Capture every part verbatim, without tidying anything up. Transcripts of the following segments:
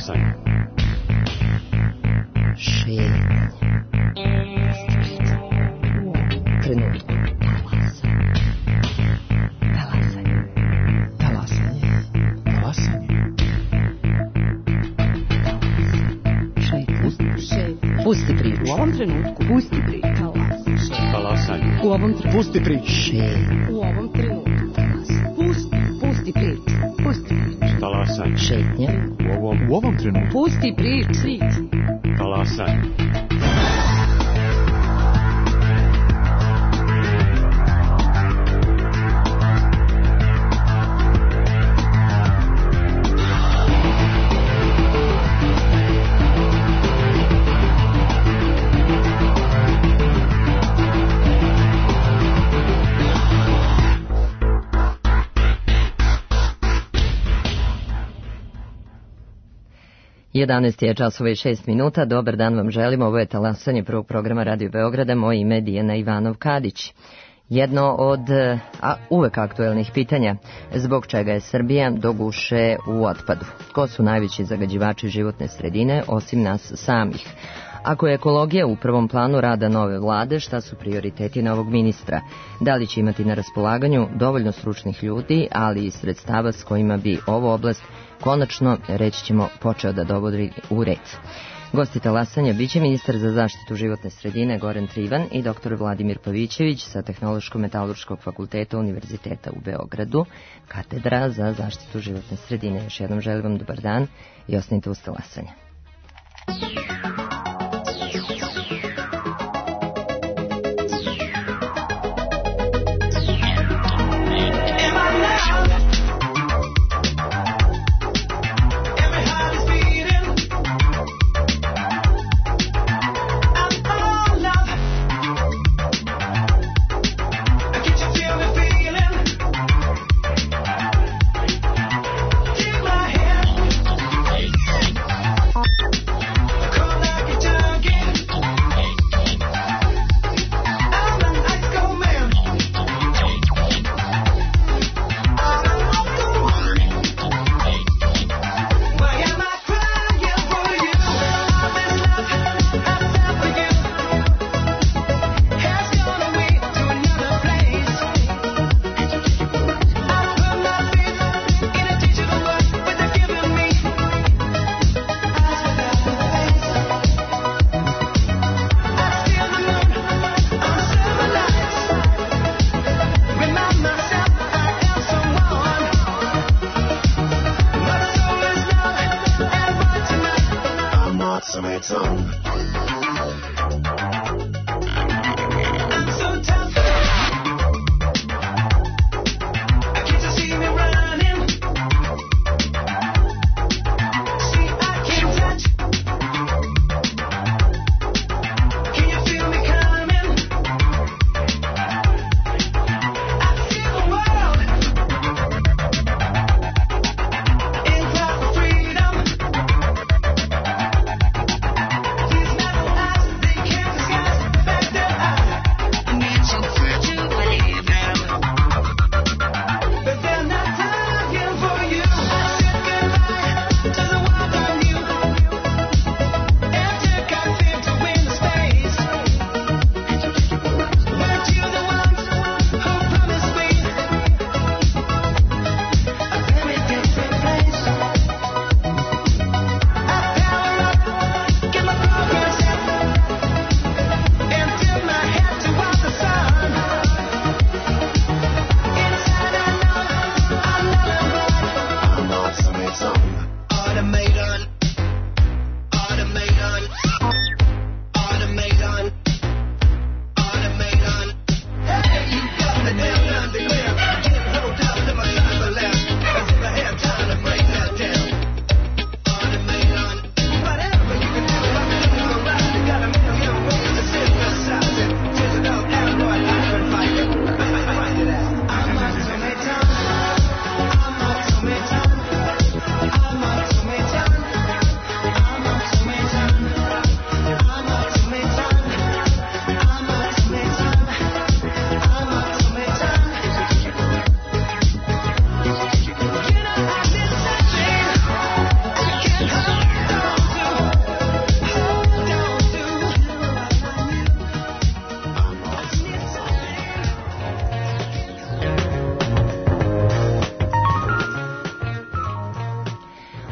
Talasanje. Šetnja. Trenutku. Talasanje. Talasanje. Talasanje. Šetnja. Pusti priču. U ovom trenutku. Pusti priču. Talasanje. U ovom trenutku. Pusti priču. Šetnja. U ovom trenutku. Pusti, pusti priču. Pusti priču. Talasanje. Šetnja. U ovom, u ovom trenutku. Pusti priču. Talasanje. jedanaest je časova i šest minuta. Dobar dan vam želim. Ovo je Talasanje prvog programa Radio Beograda. Moje ime je Dijana Ivanov-Kadić. Jedno od a, uvek aktuelnih pitanja. Zbog čega je Srbija do guše u otpadu? Ko su najveći zagađivači životne sredine osim nas samih? Ako je ekologija u prvom planu rada nove vlade, šta su prioriteti novog ministra? Da li će imati na raspolaganju dovoljno stručnih ljudi, ali i sredstava s kojima bi ovu oblast konačno, reći ćemo, počeo da dovodi u red? Gosti Talasanja biće ministar za zaštitu životne sredine Goran Trivan i doktor Vladimir Pavićević sa Tehnološko-metalurškog fakulteta Univerziteta u Beogradu, katedra za zaštitu životne sredine. Još jednom želim vam dobar dan i ostanite uz Talasanja.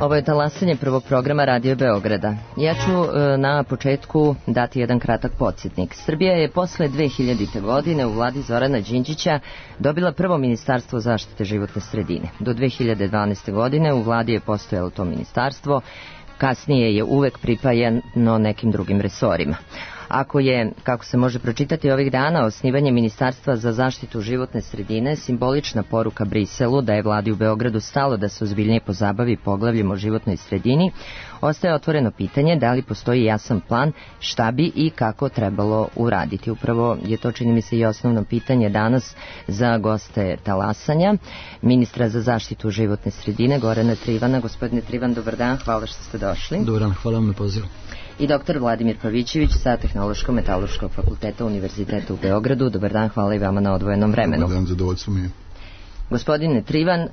Ovo je talasanje prvog programa Radio Beograda. Ja ću e, na početku dati jedan kratak podsjetnik. Srbija je posle dve hiljadite. godine u vladi Zorana Đinđića dobila prvo ministarstvo zaštite životne sredine. Do dve hiljade dvanaeste. godine u vladi je postojalo to ministarstvo, kasnije je uvek pripajano nekim drugim resorima. Ako je, kako se može pročitati ovih dana, osnivanje Ministarstva za zaštitu životne sredine simbolična poruka Briselu da je vladi u Beogradu stalo da se ozbiljnije pozabavi poglavljem o životnoj sredini, ostaje otvoreno pitanje da li postoji jasan plan šta bi i kako trebalo uraditi. Upravo je to, čini mi se, i osnovno pitanje danas za goste talasanja, ministra za zaštitu životne sredine Gorana Trivana. Gospodine Trivan, dobar dan, hvala što ste došli. Dobar dan, hvala vam na pozivu. I doktor Vladimir Pavićević sa Tehnološko-metaloškog fakulteta Univerziteta u Beogradu. Dobar dan, hvala i vama na odvojenom vremenu. Dobar dan, zadovoljstvo mi je. Gospodine Trivan,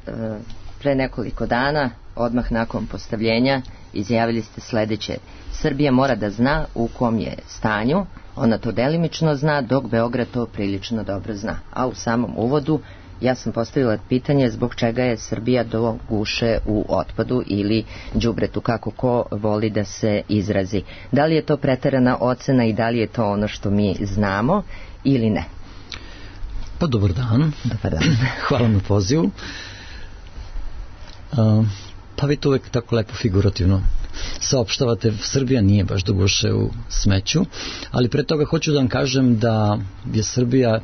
pre nekoliko dana, odmah nakon postavljenja, izjavili ste sledeće: Srbija mora da zna u kom je stanju, ona to delimično zna, dok Beograd to prilično dobro zna. A u samom uvodu ja sam postavila pitanje zbog čega je Srbija do guše u otpadu ili đubretu, kako ko voli da se izrazi. Da li je to preterana ocena i da li je to ono što mi znamo ili ne? Pa dobar dan. Dobar dan. Hvala na pozivu. Uh, pa vi to uvek tako lepo figurativno saopštavate. Srbija nije baš do guše u smeću, ali pre toga hoću da vam kažem da je Srbija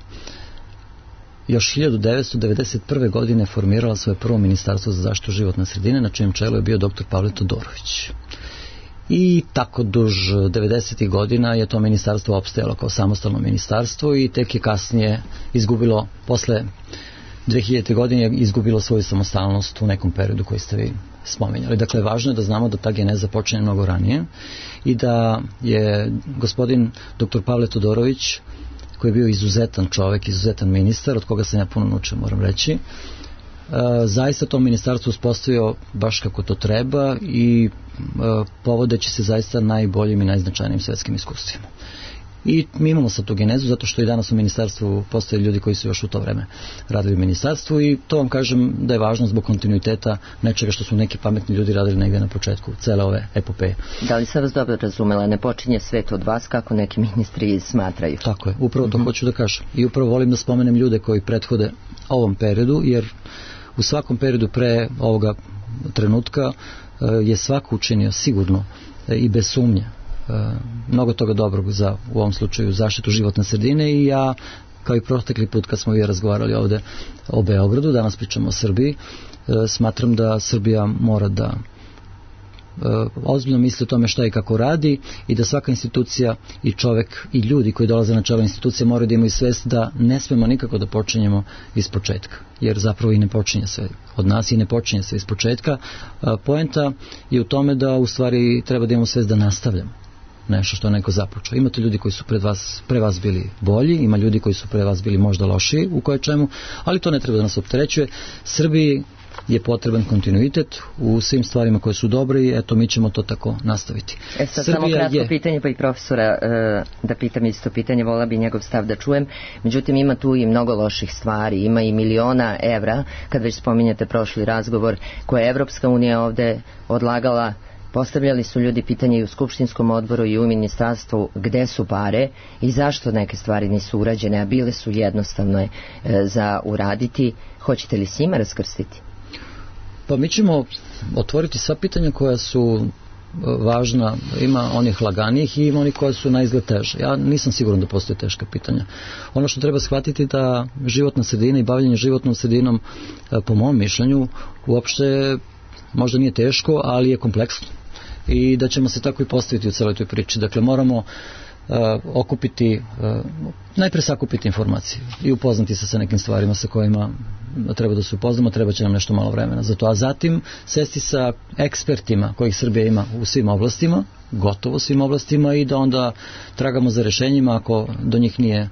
još hiljadu devetsto devedeset prve. godine formirala svoje prvo ministarstvo za zaštitu životne sredine, na čijem čelu je bio doktor Pavle Todorović. I tako duž devedesetih. godina je to ministarstvo opstajalo kao samostalno ministarstvo i tek je kasnije izgubilo, posle dve hiljadite. godine izgubilo svoju samostalnost u nekom periodu koji ste vi spominjali. Dakle, važno je da znamo da ta geneza počinje mnogo ranije i da je gospodin doktor Pavle Todorović, koji je bio izuzetan čovek, izuzetan ministar, od koga sam ja puno naučio, moram reći, e, zaista to ministarstvo uspostavio baš kako to treba i e, povodeći se zaista najboljim i najznačajnijim svetskim iskustvima. I mi imamo sad tu genezu, zato što i danas u ministarstvu postoje ljudi koji su još u to vreme radili u ministarstvu i to vam kažem da je važno zbog kontinuiteta nečega što su neki pametni ljudi radili negdje na početku cele ove epopeje. Da li sam vas dobro razumela, ne počinje svet od vas kako neki ministri smatraju? Tako je, upravo to mm-hmm. hoću da kažem. I upravo volim da spomenem ljude koji prethode ovom periodu, jer u svakom periodu pre ovoga trenutka je svako učinio sigurno i bez sumnje mnogo toga dobrog za, u ovom slučaju, zaštitu životne sredine i ja, kao i protekli put kad smo vi razgovarali ovde o Beogradu, danas pričamo o Srbiji, smatram da Srbija mora da ozbiljno misli o tome šta i kako radi i da svaka institucija i čovek i ljudi koji dolaze na čelo institucije moraju da imaju svest da ne smemo nikako da počinjemo iz početka, jer zapravo i ne počinje sve od nas i ne počinje sve iz početka. Poenta je u tome da u stvari treba da imamo svest da nastavljamo nešto što je neko započeo. Imate ljudi koji su pred vas, pre vas bili bolji, ima ljudi koji su pre vas bili možda lošiji u koje čemu, ali to ne treba da nas opterećuje. Srbiji je potreban kontinuitet u svim stvarima koje su dobre i eto mi ćemo to tako nastaviti. E sad samo kratko je... pitanje pa i profesora e, da pitam isto pitanje, vola bi njegov stav da čujem, međutim ima tu i mnogo loših stvari, ima i miliona evra, kad već spominjate prošli razgovor, koje je Evropska unija ovde odlagala. Postavljali su ljudi pitanje i u Skupštinskom odboru i u ministarstvu gde su pare i zašto neke stvari nisu urađene, a bile su jednostavne e, za uraditi. Hoćete li s njima raskrstiti? Pa mi ćemo otvoriti sva pitanja koja su važna, ima onih laganijih i ima onih koja su na izgled teže. Ja nisam siguran da postoje teška pitanja. Ono što treba shvatiti da životna sredina i bavljenje životnom sredinom, po mom mišljenju, uopšte možda nije teško, ali je kompleksno. I da ćemo se tako i postaviti u celoj toj priči. Dakle, moramo uh, okupiti, uh, najpre sakupiti informacije i upoznati se sa nekim stvarima sa kojima treba da se upoznamo, treba će nam nešto malo vremena za to. A zatim sesti sa ekspertima kojih Srbija ima u svim oblastima, gotovo svim oblastima i da onda tragamo za rešenjima ako do njih nije,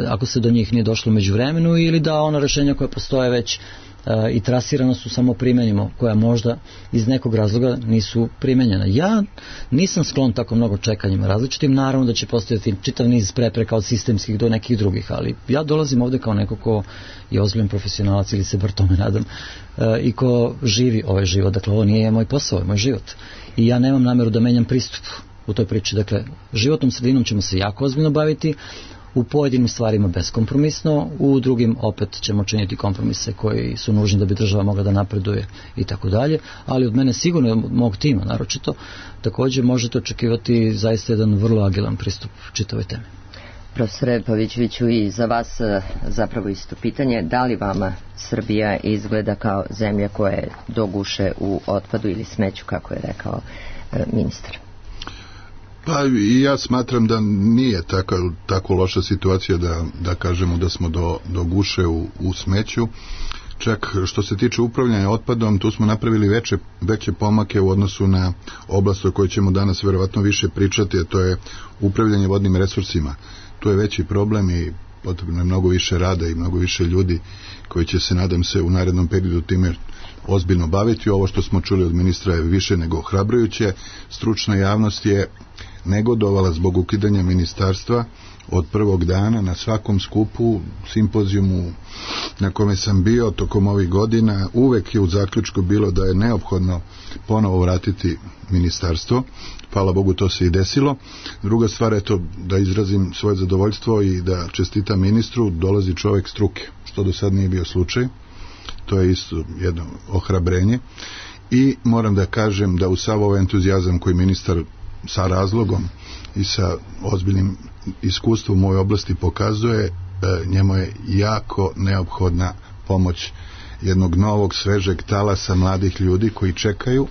ako se do njih nije došlo među vremenu ili da ona rešenja koja postoje već i trasirana su, samo primenimo, koja možda iz nekog razloga nisu primenjena. Ja nisam sklon tako mnogo čekanjima različitim, naravno da će postojati čitav niz prepreka od sistemskih do nekih drugih, ali ja dolazim ovde kao neko ko je ozbiljan profesionalac, ili se bar tome nadam, i ko živi ovaj život. Dakle, ovo nije moj posao, ovo je moj život. I ja nemam nameru da menjam pristup u toj priči. Dakle, životnom sredinom ćemo se jako ozbiljno baviti, u pojedinim stvarima beskompromisno, u drugim opet ćemo činiti kompromise koji su nužni da bi država mogla da napreduje i tako dalje, ali od mene sigurno, od mog tima naročito, također možete očekivati zaista jedan vrlo agilan pristup čitavoj temi. Profesore Pavićeviću, i za vas zapravo isto pitanje, da li vama Srbija izgleda kao zemlja koja je do guše u otpadu ili smeću, kako je rekao ministar? Pa i ja smatram da nije taka, tako loša situacija da, da kažemo da smo do, do guše u, u smeću. Čak što se tiče upravljanja otpadom, tu smo napravili veće, veće pomake u odnosu na oblast o kojoj ćemo danas verovatno više pričati, a to je upravljanje vodnim resursima. Tu je veći problem i potrebno je mnogo više rada i mnogo više ljudi koji će se, nadam se, u narednom periodu time ozbiljno baviti. Ovo što smo čuli od ministra je više nego ohrabrujuće. Stručna javnost je negodovala zbog ukidanja ministarstva od prvog dana. Na svakom skupu, simpozijumu na kome sam bio tokom ovih godina, uvek je u zaključku bilo da je neophodno ponovo vratiti ministarstvo. Hvala Bogu, to se i desilo. Druga stvar je to da izrazim svoje zadovoljstvo i da čestitam ministru, dolazi čovjek struke, što do sad nije bio slučaj. To je isto jedno ohrabrenje. I moram da kažem da u sav ovaj entuzijazam koji ministar sa razlogom i sa ozbiljnim iskustvom u ovoj oblasti pokazuje, njemu je jako neophodna pomoć jednog novog, svežeg talasa mladih ljudi koji čekaju,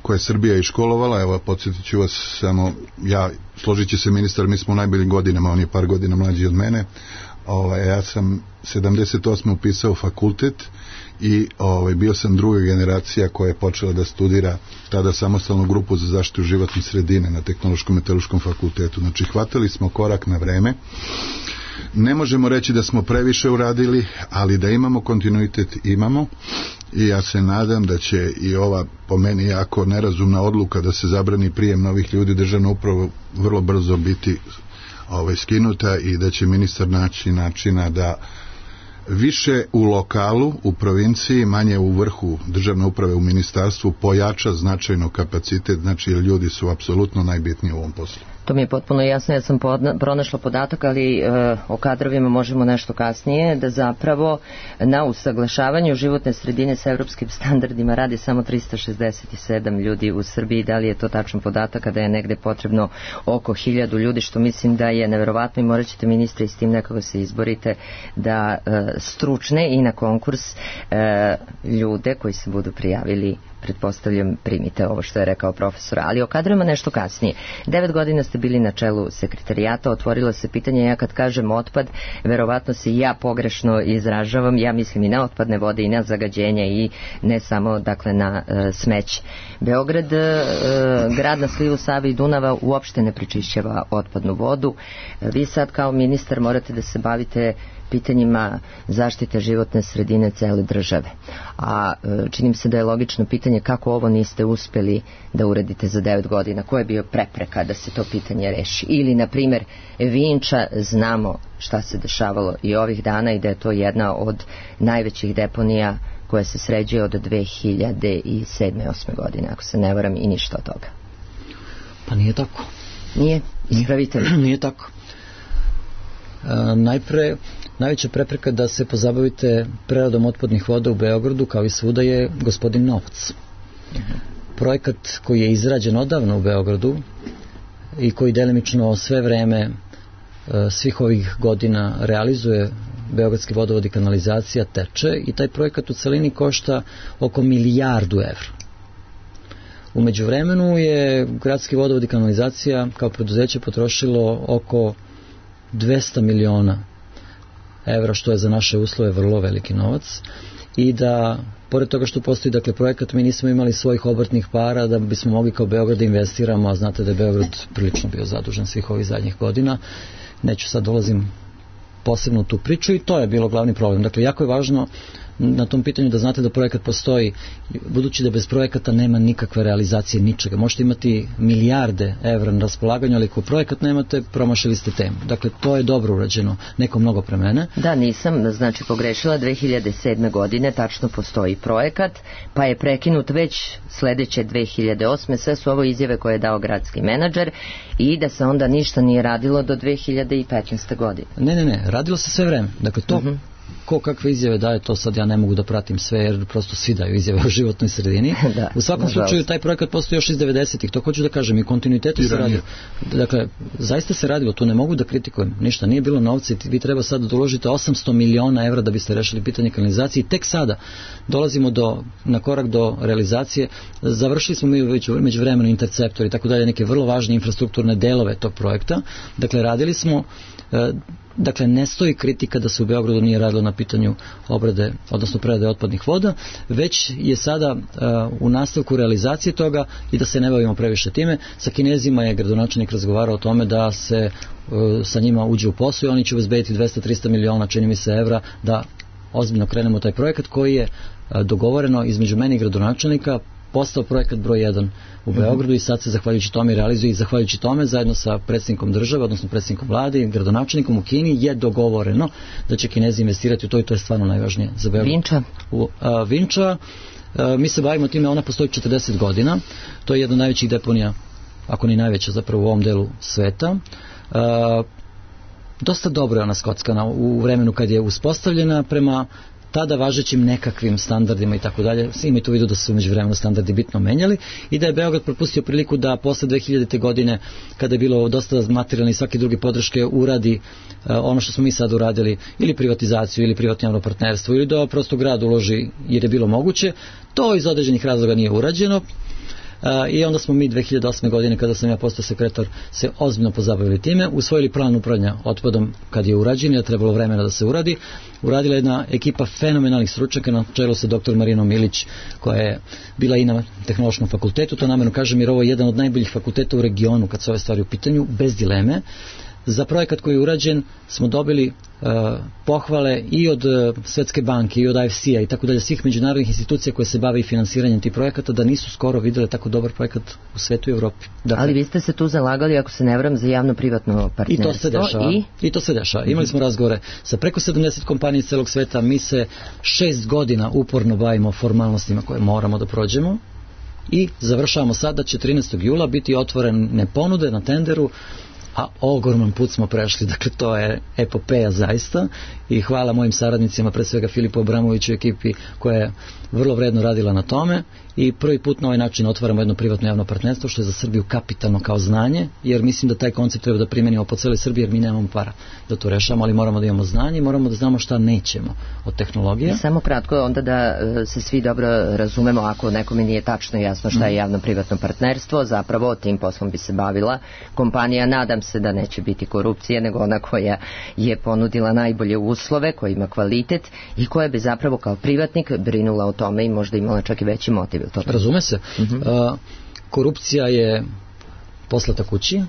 koje je Srbija iškolovala. Evo, podsjetit ću vas samo, ja, složit će se ministar, mi smo u najboljim godinama, on je par godina mlađi od mene. Ovaj, ja sam sedamdeset osme upisao fakultet i ovaj, bio sam druga generacija koja je počela da studira tada samostalnu grupu za zaštitu životne sredine na Tehnološkom meteorološkom fakultetu. Znači, hvatali smo korak na vreme. Ne možemo reći da smo previše uradili, ali da imamo kontinuitet, imamo, i ja se nadam da će i ova, po meni jako nerazumna odluka da se zabrani prijem novih ljudi u državnu upravu vrlo brzo biti ovaj, skinuta i da će ministar naći načina da više u lokalu, u provinciji, manje u vrhu državne uprave, u ministarstvu, pojača značajno kapacitet, znači ljudi su apsolutno najbitniji u ovom poslu. To mi je potpuno jasno, ja sam podna, pronašla podatak, ali e, o kadrovima možemo nešto kasnije, da zapravo na usaglašavanju životne sredine sa evropskim standardima radi samo tristo šezdeset sedam ljudi u Srbiji. Da li je to tačan podatak, kada je negde potrebno oko hiljadu ljudi, što mislim da je neverovatno, i morat ćete, ministre, i s tim nekako se izborite da e, stručne i na konkurs e, ljude koji se budu prijavili, pretpostavljam, primite ovo što je rekao profesor. Ali o kadrovima nešto kasnije. Devet godina ste bili na čelu sekretarijata, otvorilo se pitanje, ja kad kažem otpad, verovatno se i ja pogrešno izražavam, ja mislim i na otpadne vode i na zagađenje i ne samo, dakle, na e, smeće. Beograd, e, grad na slivu Save i Dunava, uopšte ne prečišćava otpadnu vodu. Vi sad kao ministar morate da se bavite pitanjima zaštite životne sredine cele države. A činim se da je logično pitanje kako ovo niste uspeli da uradite za devet godina. Koja je bio prepreka da se to pitanje reši? Ili, na primjer, Vinča, znamo šta se dešavalo i ovih dana i da je to jedna od najvećih deponija koja se sređuje od dve hiljade sedme osme godine, ako se ne varam, i ništa od toga. Pa nije tako. Nije? Ispravite li? Nije, nije tako. E, najpre, najveća prepreka da se pozabavite preradom otpadnih voda u Beogradu, kao i svuda, je gospodin Novac. Projekat koji je izrađen odavno u Beogradu i koji delimično sve vreme svih ovih godina realizuje Beogradski vodovod i kanalizacija, teče, i taj projekat u celini košta oko milijardu evra. U međuvremenu je Gradski vodovod i kanalizacija kao preduzeće potrošilo oko dvesta miliona evra, što je za naše uslove vrlo veliki novac, i da, pored toga što postoji, dakle, projekat, mi nismo imali svojih obrtnih para da bismo mogli kao Beograd da investiramo, a znate da je Beograd prilično bio zadužen svih ovih zadnjih godina. Neću sad dolazim posebno u tu priču, i to je bilo glavni problem. Dakle, jako je važno na tom pitanju da znate da projekat postoji, budući da bez projekata nema nikakve realizacije ničega. Možete imati milijarde evra na raspolaganju, ali ako projekat nemate, promašili ste temu. Dakle, to je dobro urađeno, neko mnogo pre mene. Da, nisam, znači pogrešila, dve hiljade sedme godine tačno postoji projekat, pa je prekinut već sledeće dve hiljade osme. Sve su ovo izjave koje je dao gradski menadžer i da se onda ništa nije radilo do dve hiljade petnaeste. godine. Ne, ne, ne, radilo se sve vreme. Dakle, to uh-huh. ko kakve izjave daje, to sad ja ne mogu da pratim sve, jer prosto svi daju izjave o životnoj sredini. Da, u svakom nažalost. Slučaju, taj projekat postoji još iz devedesetih, to hoću da kažem, i kontinuitetu se radio. Dakle, zaista se radilo, tu ne mogu da kritikujem, ništa, nije bilo novca, vi treba sad da uložite osamsto miliona evra da biste rešili pitanje kanalizacije i tek sada dolazimo do, na korak do realizacije. Završili smo mi već među vremenu interceptor i tako dalje, neke vrlo važne infrastrukturne delove tog projekta. Dakle, radili smo, dakle, ne stoji kritika da se u Beogradu nije radilo na pitanju obrade, odnosno prerade otpadnih voda, već je sada uh, u nastavku realizacije toga i da se ne bavimo previše time. Sa Kinezima je gradonačelnik razgovarao o tome da se uh, sa njima uđe u posao i oni će obezbediti dvesta do trista miliona, čini mi se, evra da ozbiljno krenemo taj projekat koji je uh, dogovoreno između meni i gradonačelnika, postao projekat broj jedan u Beogradu i sad se zahvaljujući tome realizuje i zahvaljujući tome zajedno sa predsjednikom države, odnosno predsjednikom vlade i gradonačelnikom u Kini je dogovoreno da će Kinezi investirati u to i to je stvarno najvažnije za Beograd. Vinča? U, a, Vinča, a, mi se bavimo time, ona postoji četrdeset godina, to je jedna od najvećih deponija, ako ni najveća zapravo u ovom delu sveta. A, dosta dobro je ona skockana u vremenu kad je uspostavljena prema tada važećim nekakvim standardima i tako dalje. Imajte u vidu da su umeđu vremenu standardi bitno menjali i da je Beograd propustio priliku da posle dve hiljadite. godine, kada je bilo dosta materijalne i svake druge podrške, uradi uh, ono što smo mi sad uradili, ili privatizaciju, ili privatno javno partnerstvo, ili da prosto grad uloži jer je bilo moguće. To iz određenih razloga nije urađeno. Uh, i onda smo mi dve hiljade osme. godine, kada sam ja postao sekretar, se ozbiljno pozabavili time, usvojili plan upravljanja otpadom kad je urađen, je trebalo vremena da se uradi. Uradila jedna ekipa fenomenalnih stručnjaka na čelu sa doktor Marinom Milić, koja je bila i na Tehnološkom fakultetu, to namerno kažem jer ovo je jedan od najboljih fakulteta u regionu kad se ove stvari u pitanju, bez dileme. Za projekat koji je urađen smo dobili uh, pohvale i od uh, Svetske banke i od I F C-a i tako dalje, svih međunarodnih institucija koje se bave i finansiranjem tih projekata, da nisu skoro videle tako dobar projekat u svetu i Evropi. Dakle, ali vi ste se tu zalagali, ako se ne varam, za javno-privatno partnerstvo. I to se dešava. I, I to se dešava. Imali smo razgovore sa preko sedamdeset kompanija iz celog sveta, mi se šest godina uporno bavimo formalnostima koje moramo da prođemo i završavamo sad da će trinaestog jula biti otvorene ponude na tenderu, a ogroman put smo prešli, dakle to je epopeja zaista i hvala mojim saradnicima, pre svega Filipu Abramoviću i ekipi koja je vrlo vredno radila na tome i prvi put na ovaj način otvaramo jedno privatno javno partnerstvo što je za Srbiju kapitalno kao znanje, jer mislim da taj koncept treba da primenimo po celoj Srbiji jer mi nemamo para da to rešamo, ali moramo da imamo znanje i moramo da znamo šta nećemo od tehnologije. I samo kratko onda da se svi dobro razumemo, ako nekome nije tačno jasno šta je javno privatno partnerstvo, zapravo tim poslom bi se bavila kompanija, nadam se da neće biti korupcije, nego ona koja je ponudila najbolje uslove, koja ima kvalitet i koja bi zapravo kao privatnik brinula o tome i možda imala čak i veći motiv. Razume se. Uh-huh. Uh, korupcija je poslata kući. Uh,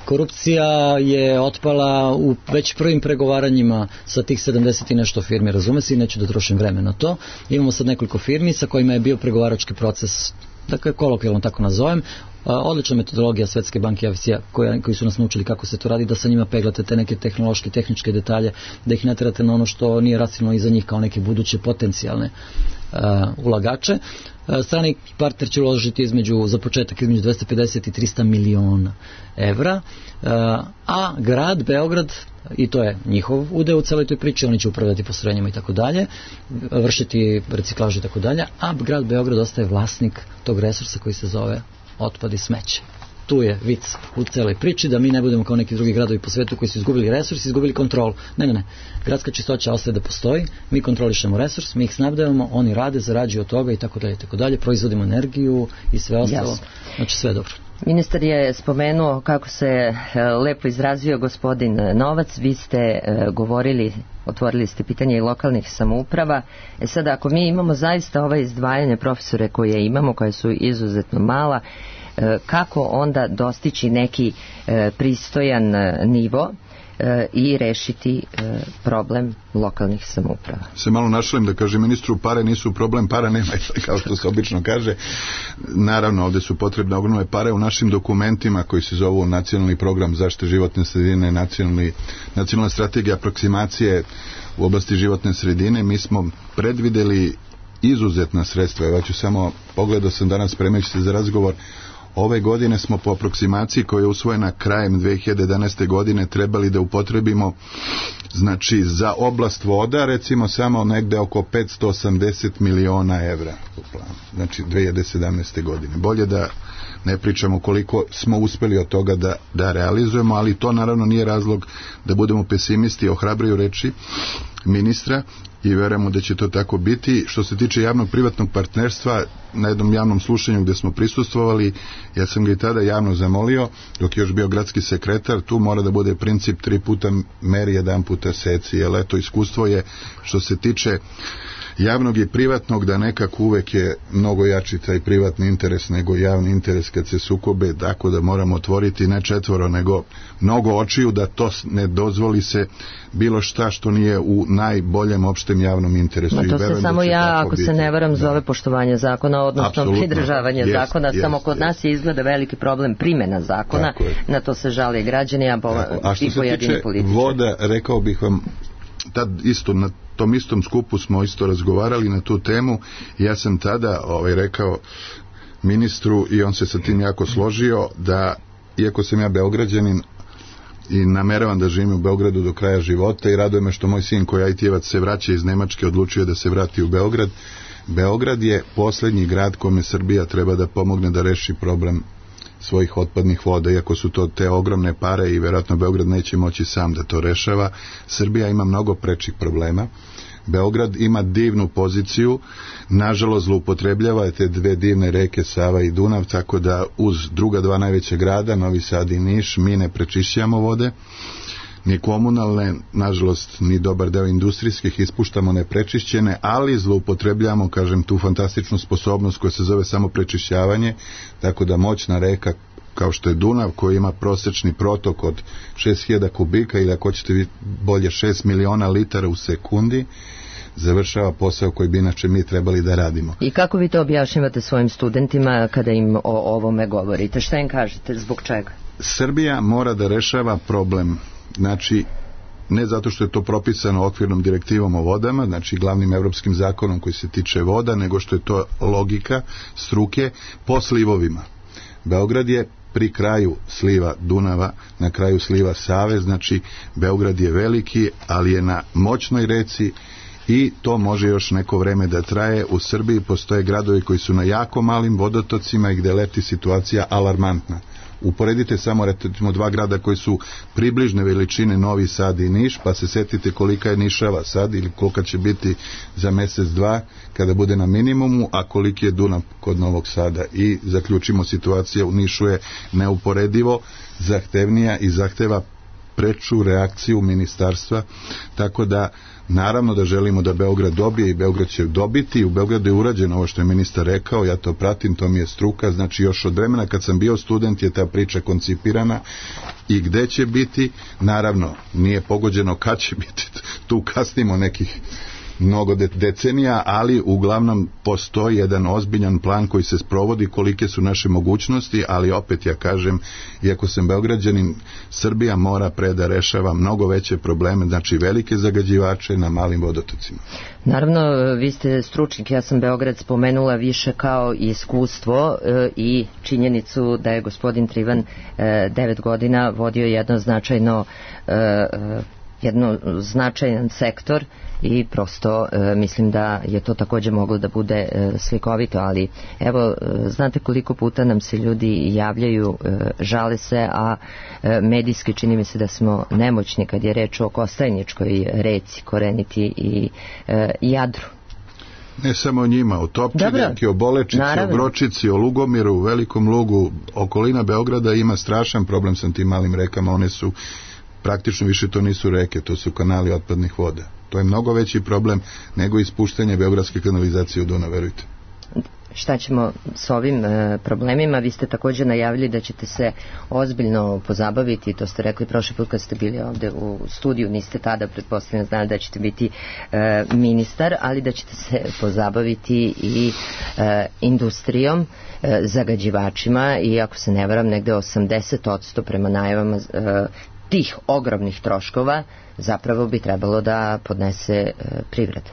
korupcija je otpala u već prvim pregovaranjima sa tih sedamdeset i nešto firmi, razume se, i neću da trošim vreme na to. Imamo sad nekoliko firmi sa kojima je bio pregovarački proces, dakle kolokvijalno tako nazovem. Odlična metodologija Svetske banke i I F C-a koji, koji su nas naučili kako se to radi, da sa njima peglate te neke tehnološke, tehničke detalje, da ih ne terate na ono što nije racionalno iza njih kao neke buduće potencijalne uh, ulagače. Uh, strani partner će uložiti između, za početak između dvesta pedeset i trista miliona evra, uh, a grad Beograd, i to je njihov udeo u celoj toj priči, oni će upravljati postrojenjima i tako dalje, vršiti reciklažu i tako dalje, a grad Beograd ostaje vlasnik tog resursa koji se zove otpad i smeće. Tu je vic u celoj priči, da mi ne budemo kao neki drugi gradovi po svetu koji su izgubili resurs, izgubili kontrolu. Ne, ne, ne. Gradska čistoća ostaje da postoji, mi kontrolišemo resurs, mi ih snabdevamo, oni rade, zarađuju od toga i tako dalje, tako dalje, proizvodimo energiju i sve ostalo. Jasno. Znači sve je dobro. Ministar je spomenuo kako se lepo izrazio gospodin Novac, vi ste govorili, otvorili ste pitanje i lokalnih samouprava. E sad, ako mi imamo zaista ova izdvajanje profesore koje imamo, koje su izuzetno mala, kako onda dostići neki pristojan nivo e, i rešiti e, problem lokalnih samouprava. Se malo našalim da kaže ministru, pare nisu problem, para nema, kao što se obično kaže. Naravno, ovde su potrebne ogromne pare u našim dokumentima koji se zovu Nacionalni program zaštite životne sredine, nacionalni, nacionalna strategija aproksimacije u oblasti životne sredine. Mi smo predvideli izuzetna sredstva. Ja ću samo, pogledao sam danas spremajući se za razgovor, ove godine smo po aproksimaciji koja je usvojena krajem dve hiljade jedanaeste. godine trebali da upotrebimo, znači za oblast voda recimo samo negde oko petsto osamdeset miliona evra u planu, znači dve hiljade sedamnaeste. godine. Bolje da ne pričamo koliko smo uspeli od toga da, da realizujemo, ali to naravno nije razlog da budemo pesimisti. Ohrabruju reči ministra i verujemo da će to tako biti. Što se tiče javno-privatnog partnerstva, na jednom javnom slušanju gde smo prisustvovali, ja sam ga i tada javno zamolio, dok je još bio gradski sekretar, tu mora da bude princip tri puta meri, jedan puta seci, jer eto, iskustvo je što se tiče javnog i privatnog, da nekako uvek je mnogo jači taj privatni interes nego javni interes kad se sukobe, tako da moramo otvoriti ne četvoro nego mnogo očiju da to ne dozvoli se bilo šta što nije u najboljem opštem javnom interesu. Ma to se samo ja, ako biti. se ne varam, da. zove poštovanje zakona, odnosno Apsolutno. pridržavanje Jest, zakona, jest, samo kod jest. nas je izgleda veliki problem primjena zakona, na to se žale građani, a, bo, a što i se pojedini tiče političari. voda, rekao bih vam, tad isto na tom istom skupu smo isto razgovarali na tu temu i ja sam tada ovaj, rekao ministru i on se sa tim jako složio da, iako sam ja Beograđanin i nameravam da živim u Beogradu do kraja života i raduje me što moj sin koji je I T-evac se vraća iz Nemačke, odlučio da se vrati u Beograd. Beograd je poslednji grad kome Srbija treba da pomogne da reši problem svojih otpadnih voda, iako su to te ogromne pare i vjerojatno Beograd neće moći sam da to rešava. Srbija ima mnogo prečih problema. Beograd ima divnu poziciju, nažalost zloupotrebljava te dve divne reke Sava i Dunav, tako da uz druga dva najveća grada, Novi Sad i Niš, mi ne prečišćamo vode, ni komunalne, nažalost ni dobar deo industrijskih ispuštamo neprečišćene, ali zloupotrebljamo, kažem, tu fantastičnu sposobnost koja se zove samo prečišćavanje, tako da moćna reka kao što je Dunav, koji ima prosečni protok od šest hiljada kubika ili ako ćete vi bolje šest miliona litara u sekundi, završava posao koji bi inače mi trebali da radimo. I kako vi to objašnjavate svojim studentima kada im o ovome govorite? Šta im kažete? Zbog čega? Srbija mora da rešava problem, znači ne zato što je to propisano okvirnom direktivom o vodama, znači glavnim evropskim zakonom koji se tiče voda, nego što je to logika struke po slivovima. Beograd je pri kraju sliva Dunava, na kraju sliva Save, znači Beograd je veliki, ali je na moćnoj reci i to može još neko vreme da traje. U Srbiji postoje gradovi koji su na jako malim vodotocima i gde leti situacija alarmantna. Uporedite samo recimo dva grada koji su približne veličine, Novi Sad i Niš, pa se setite kolika je Nišava sad ili kolika će biti za mesec dva kada bude na minimumu, a koliki je Dunav kod Novog Sada, i zaključimo, situacija u Nišu je neuporedivo zahtevnija i zahteva preču reakciju ministarstva, tako da naravno da želimo da Beograd dobije i Beograd će dobiti. U Beogradu je urađeno ovo što je ministar rekao, ja to pratim, to mi je struka, znači još od vremena kad sam bio student je ta priča koncipirana i gde će biti, naravno nije pogođeno kad će biti, tu kasnimo nekih mnogo decenija, ali uglavnom postoji jedan ozbiljan plan koji se sprovodi, kolike su naše mogućnosti, ali opet ja kažem, iako sam Beograđanin, Srbija mora pre da rešava mnogo veće probleme, znači velike zagađivače na malim vodotocima. Naravno, vi ste stručnik, ja sam Beograd spomenula više kao iskustvo e, i činjenicu da je gospodin Trivan e, devet godina vodio jedno značajno e, jedno značajan sektor i prosto e, mislim da je to također moglo da bude e, slikovito, ali evo, e, znate koliko puta nam se ljudi javljaju, e, žale se, a e, medijski čini mi se da smo nemoćni kad je reč o Kostajničkoj reci, Koreniti i e, Jadru. Ne samo o njima, o Topčidenki, o Bolečici, naravno, o Bročici, o Lugomiru, u Velikom Lugu. Okolina Beograda ima strašan problem sa tim malim rekama, one su praktično više to nisu reke, to su kanali otpadnih voda. To je mnogo veći problem nego ispuštanje beogradske kanalizacije u Dunav, verujte. šta ćemo s ovim e, problemima. Vi ste također najavili da ćete se ozbiljno pozabaviti, to ste rekli prošli put kad ste bili ovde u studiju, niste tada pretpostavljeno znali da ćete biti e, ministar, ali da ćete se pozabaviti i e, industrijom, e, zagađivačima, i ako se ne varam negde osamdeset posto prema najavama e, tih ogromnih troškova zapravo bi trebalo da podnese e, privreda.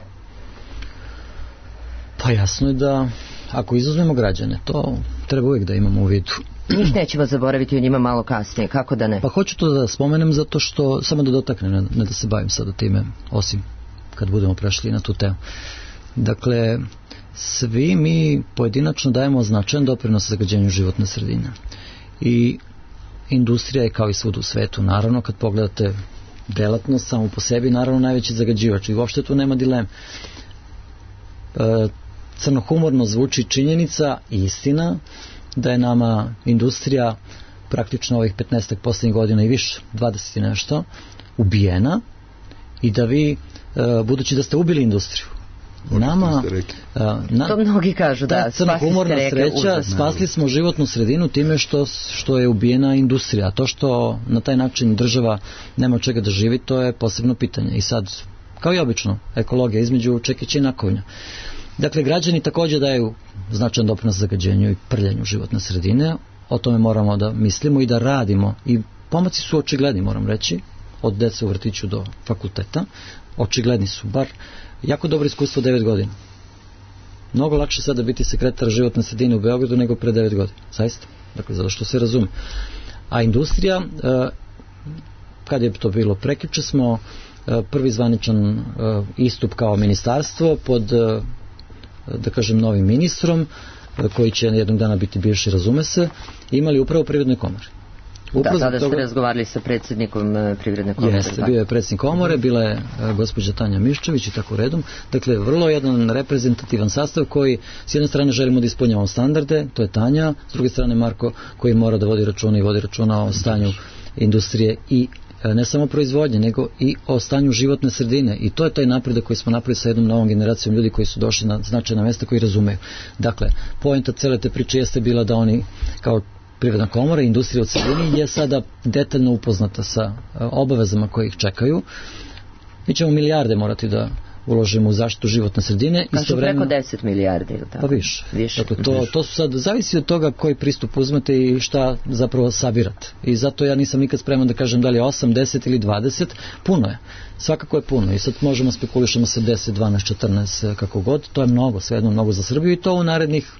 Pa jasno je da ako izuzmemo građane, to treba uvijek da imamo u vidu. Njih nećemo zaboraviti, o njima malo kasnije, kako da ne? Pa hoću to da spomenem zato što, samo da dotaknem, ne, ne da se bavim sada time, osim kad budemo prešli na tu temu. Dakle, svi mi pojedinačno dajemo značajan doprinos zagađenju životne sredine. I industrija je kao i svud u svetu, naravno kad pogledate delatnost samo po sebi, naravno najveći zagađivač i uopšte tu nema dileme. E, crnohumorno zvuči činjenica i istina da je nama industrija praktično ovih petnaest posljednjih godina i više, dvadeset i nešto, ubijena, i da vi, e, budući da ste ubili industriju, nama, a, na, to mnogi kažu, da, da crnohumorna sreća, užas. Spasli smo životnu sredinu time što, što je ubijena industrija, a to što na taj način država nema od čega da živi, to je posebno pitanje. I sad, kao i obično, ekologija između čekića i nakovnja. Dakle, građani također daju značajan doprinos zagađenju i prljanju životne sredine, o tome moramo da mislimo i da radimo, i pomaci su očigledni, moram reći, od dece u vrtiću do fakulteta, očigledni su, bar jako dobro iskustvo devet godina. Mnogo lakše sada biti sekretar životne sredine u Beogradu nego pre devet godina, zaista, dakle, zato što se razume. A industrija, kad je to bilo prekjuče, smo prvi zvaničan istup kao ministarstvo pod, da kažem, novim ministrom, koji će jednog dana biti bivši, razume se, imali upravo Privredne komore. Upravo da, tada ste toga razgovarali sa predsjednikom Privredne komore. Jeste, bio je predsjednik komore, bila je gospođa Tanja Miščević i tako redom. Dakle, vrlo jedan reprezentativan sastav koji, s jedne strane želimo da ispunjavamo standarde, to je Tanja, s druge strane Marko, koji mora da vodi računa i vodi računa o stanju industrije i ne samo proizvodnje, nego i o stanju životne sredine, i to je taj napredak koji smo napravili sa jednom novom generacijom ljudi koji su došli na značajna mesta, koji razumeju. Dakle, poenta cele te priče jeste bila da oni kao Privredna komora i industrija u celini je sada detaljno upoznata sa obavezama koje ih čekaju. Mi ćemo milijarde morati da uložimo u zaštitu životne sredine. Kažu preko deset milijardi. Pa više. više. Dakle, to, to su sad, zavisi od toga koji pristup uzmete i šta zapravo sabirate. I zato ja nisam nikad spreman da kažem da li je osam, deset ili dvadeset. Puno je. Svakako je puno. I sad možemo spekulišemo sa deset, dvanaest, četrnaest, kako god. To je mnogo, svejedno mnogo za Srbiju, i to u narednih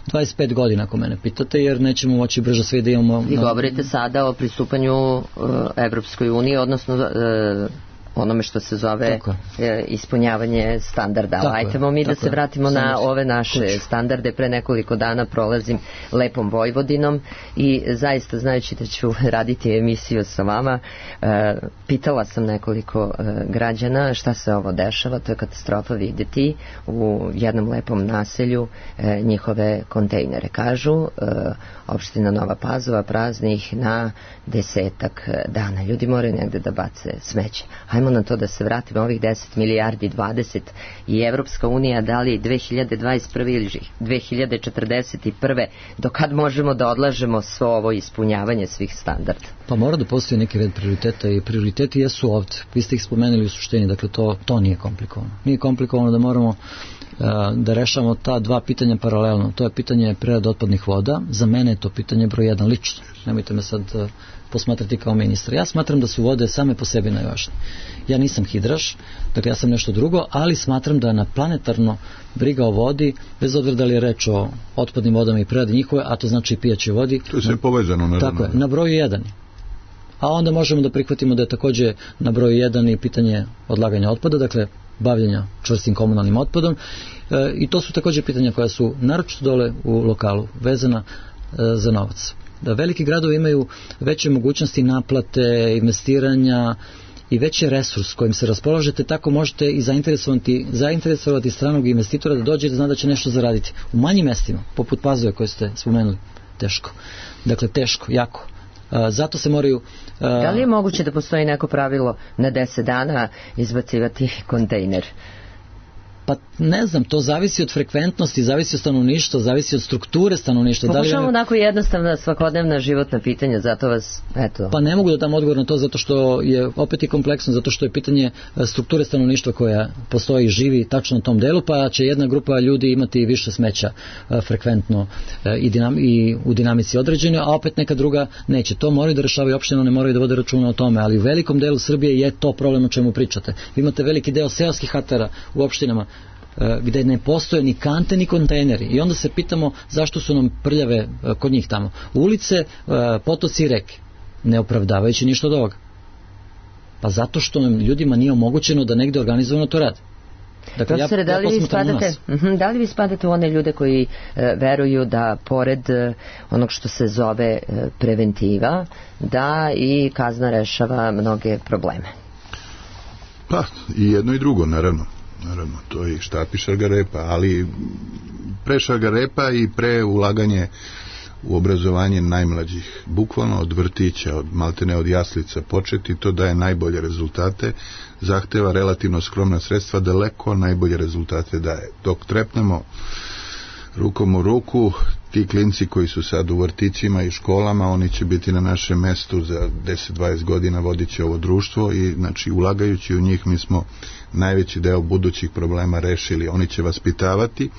dvadeset pet godina, ako mene pitate, jer nećemo moći brže sve da imamo. Vi govorite sada o pristupanju uh, Evropskoj uniji, odnosno uh, onome što se zove e, ispunjavanje standarda. Tako Ajtemo mi da se vratimo je. na ove naše Kuću. standarde. Pre nekoliko dana prolazim lepom Vojvodinom i zaista, znajući da ću raditi emisiju sa vama, e, pitala sam nekoliko e, građana šta se ovo dešava. To je katastrofa vidjeti u jednom lepom naselju e, njihove kontejnere. Kažu, e, opština Nova Pazova prazni ih na desetak dana. Ljudi moraju negde da bace smeće. Hajmo na to da se vratimo, ovih deset milijardi, dvadeset, i Evropska unija da li dve hiljade dvadeset prve ili dve hiljade četrdeset prve, do kad možemo da odlažemo svo ovo ispunjavanje svih standarda? Pa mora da postoji neki red prioriteta, i prioriteti jesu ovdje. Vi ste ih spomenuli u suštini, dakle to, to nije komplikovano. Nije komplikovano da moramo uh, da rešamo ta dva pitanja paralelno. To je pitanje prerade otpadnih voda. Za mene je to pitanje broj jedan lično. Nemojte me sad uh, posmatrati kao ministra. Ja smatram da su vode same po sebi najvažnije. Ja nisam hidraš, dakle ja sam nešto drugo, ali smatram da na planetarno briga o vodi, bez obzira da li je reč o otpadnim vodama i preradi njihove, a to znači i pijaćoj vodi. To je sve povezano, naravno. Tako je, na broju jedan. A onda možemo da prihvatimo da je također na broju jedan i pitanje odlaganja otpada, dakle bavljenja čvrstim komunalnim otpadom, e, i to su također pitanja koja su naročito dole u lokalu vezana e, za novac. Da veliki gradovi imaju veće mogućnosti naplate, investiranja i veći resurs kojim se raspolažete, tako možete i zainteresovati, zainteresovati stranog investitora da dođe i da zna da će nešto zaraditi. U manjim mestima, poput Pazove koje ste spomenuli, teško. Dakle, teško, jako. Uh, zato se moraju... Uh, da li je moguće da postoji neko pravilo na deset dana izbacivati kontejner? Pa ne znam, to zavisi od frekventnosti, zavisi od stanovništva, zavisi od strukture stanovništva. Pokušamo da li... onako jednostavna svakodnevna životna pitanja, zato vas, eto... Pa ne mogu da dam odgovor na to, zato što je opet i kompleksno, zato što je pitanje strukture stanovništva koja postoji i živi tačno na tom delu, pa će jedna grupa ljudi imati više smeća frekventno i, dinam, i u dinamici određene, a opet neka druga neće. To moraju da rešavaju opštine, ne moraju da vode računa o tome, ali u velikom delu Srbije je to problem o čemu pričate. Vi imate veliki deo seoskih hatara u opštinama gde ne postoje ni kante ni kontejneri i onda se pitamo zašto su nam prljave kod njih tamo. Ulice, potoci i reke, ne opravdavajući ništa od ovoga. Pa zato što nam ljudima nije omogućeno da negde organizovano to rade. Dakle, Profesore, ja, da, li ja vi spadate, uh-huh, da li vi spadate u one ljude koji e, veruju da pored e, onog što se zove e, preventiva, da i kazna rešava mnoge probleme? Pa, i jedno i drugo, naravno. Naravno, to je štap i šargarepa, ali pre šargarepa i pre ulaganje u obrazovanje najmlađih, bukvalno od vrtića, od maltene od jaslica početi, to daje najbolje rezultate, zahteva relativno skromna sredstva, daleko najbolje rezultate daje. Dok trepnemo rukom u ruku, ti klinci koji su sad u vrtićima i školama, oni će biti na našem mestu za deset do dvadeset godina, vodit će ovo društvo i znači ulagajući u njih mi smo najveći deo budućih problema rešili. Oni će vaspitavati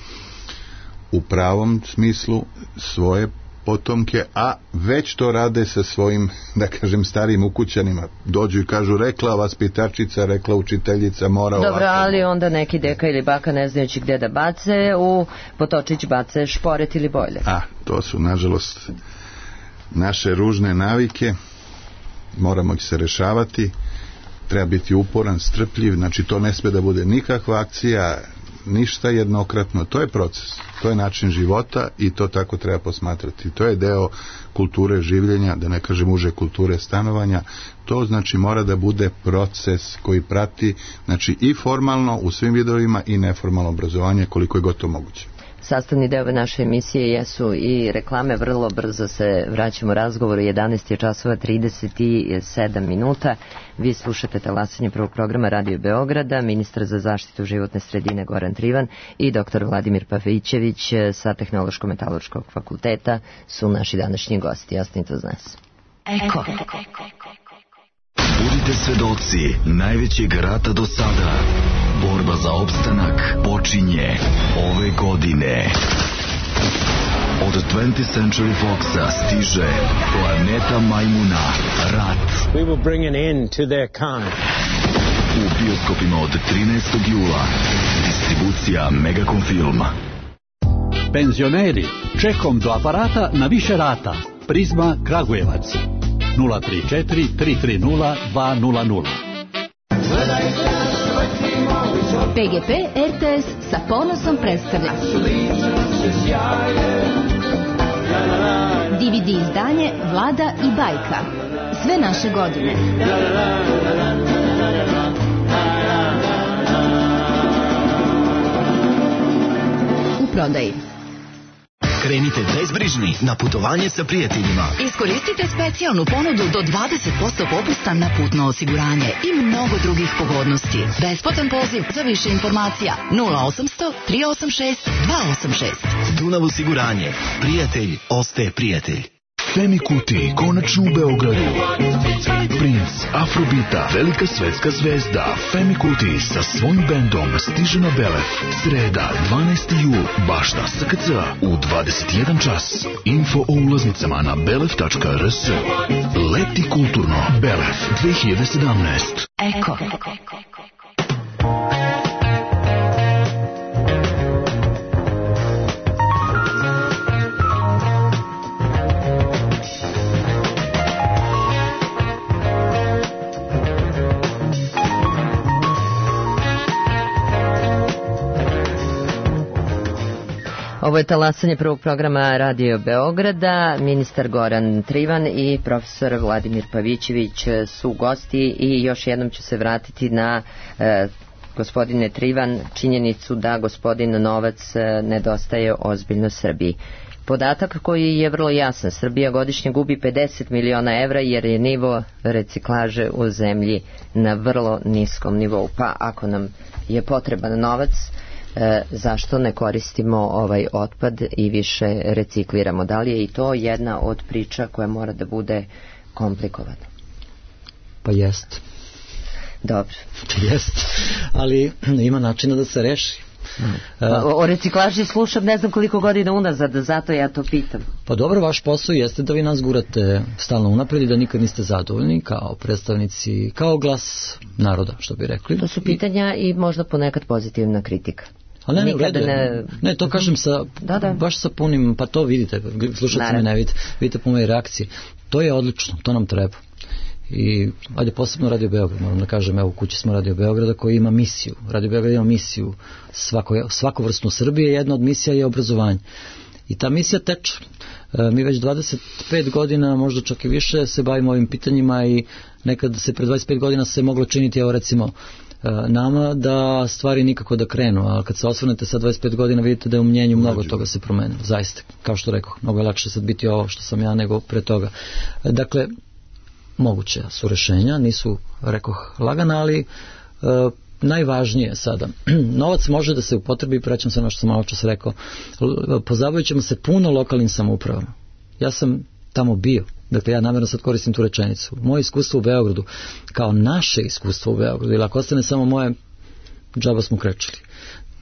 u pravom smislu svoje potomke, a već to rade sa svojim, da kažem, starijim ukućanima. Dođu i kažu, rekla vaspitačica, rekla učiteljica, mora ovako. Dobro, ali onda neki deka ili baka ne znajući gde da bace, u potočić bace šporet ili bojler. A, to su, nažalost, naše ružne navike, moramo ih se rešavati, treba biti uporan, strpljiv, znači to ne sme da bude nikakva akcija, ništa jednokratno, to je proces, to je način života i to tako treba posmatrati. To je deo kulture življenja, da ne kažem uže kulture stanovanja, to znači mora da bude proces koji prati, znači i formalno u svim vidovima i neformalno obrazovanje koliko je gotovo moguće. Sastavni deo naše emisije jesu i reklame, vrlo brzo se vraćamo razgovoru, jedanaest je časova trideset sedam minuta. Vi slušate talasanje prvog programa Radio Beograda, ministar za zaštitu životne sredine Goran Trivan i doktor Vladimir Pavićević sa Tehnološko-metaloškog fakulteta su naši današnji gosti. Ostanite uz nas. Eko. Budite svedoci najvećeg rata do sada. Borba za opstanak počinje ove godine. Od twentieth Century Foxa stiže Planeta Majmuna, Rat. We will bring an end to their kind. U bioskopima od trinaestog jula. Distribucija Megacom Filma. Penzioneri, čekom do aparata na više rata. Prizma Kragujevac. nula tri četiri tri tri nula dva nula nula. P G P R T S sa ponosom predstavlja D V D izdanje Vlada i bajka. Sve naše godine. U prodaji. Krenite bezbrižni na putovanje sa prijateljima. Iskoristite specijalnu ponudu do dvadeset posto popusta na putno osiguranje i mnogo drugih pogodnosti. Besplatan poziv za više informacija nula osamsto tri osam šest dva osam šest. Dunav osiguranje. Prijatelj ostaje prijatelj. Femi Kuti, konačno u Beogradu. Princ Afrobita, velika svetska zvezda Femi Kuti sa svojim bendom stiže na Belef. Sreda, dvanaesti jul, baš na S K C u dvadeset jedan čas. Info o ulaznicama na belef tačka r s. Leti kulturno. Belef dve hiljade sedamnaest. Eko. Ovo je talasanje prvog programa Radio Beograda. Ministar Goran Trivan i profesor Vladimir Pavićević su gosti i još jednom ću se vratiti na e, gospodine Trivan, činjenicu da gospodin Novac nedostaje ozbiljno Srbiji. Podatak koji je vrlo jasan, Srbija godišnje gubi pedeset miliona evra jer je nivo reciklaže u zemlji na vrlo niskom nivou. Pa ako nam je potreban novac, e, zašto ne koristimo ovaj otpad i više recikliramo. Da li je i to jedna od priča koja mora da bude komplikovana? Pa jest. Dobro. Jest, ali ima načina da se reši. Pa, o reciklaži slušam ne znam koliko godina unazad, zato ja to pitam. Pa dobro, vaš posao jeste da vi nas gurate stalno unapred i da nikad niste zadovoljni kao predstavnici, kao glas naroda, što bi rekli. To su pitanja i možda ponekad pozitivna kritika. Ali ne, ne, ne, ne, to kažem sa, da, da. baš sa punim, pa to vidite, slušate me ne vidite, vidite po mojej reakciji. To je odlično, to nam treba. I ajde posebno Radio Beograd, moram da kažem, evo u kući smo Radio Beograda koji ima misiju. Radio Beograd ima misiju svako, svakovrsnu Srbije, jedna od misija je obrazovanje. I ta misija teče. E, mi već dvadeset pet godina, možda čak i više, se bavimo ovim pitanjima i nekad se pre dvadeset pet godina se moglo činiti, evo recimo, nama da stvari nikako da krenu, a kad se osvrnete sa dvadeset pet godina vidite da je u mnjenju mnogo toga se promenilo, zaista, kao što rekao, mnogo je lakše sad biti ovo što sam ja nego pre toga. Dakle, moguće su rešenja, nisu, rekoh, lagana, ali e, najvažnije sada, novac može da se upotrebi, prećam se ono što sam malo čas rekao, pozabavit ćemo se puno lokalnim samoupravama. Ja sam tamo bio, dakle ja namjerno sad koristim tu rečenicu. Moje iskustvo u Beogradu, kao naše iskustvo u Beogradu, ili ako ostane samo moje, džaba smo krečili.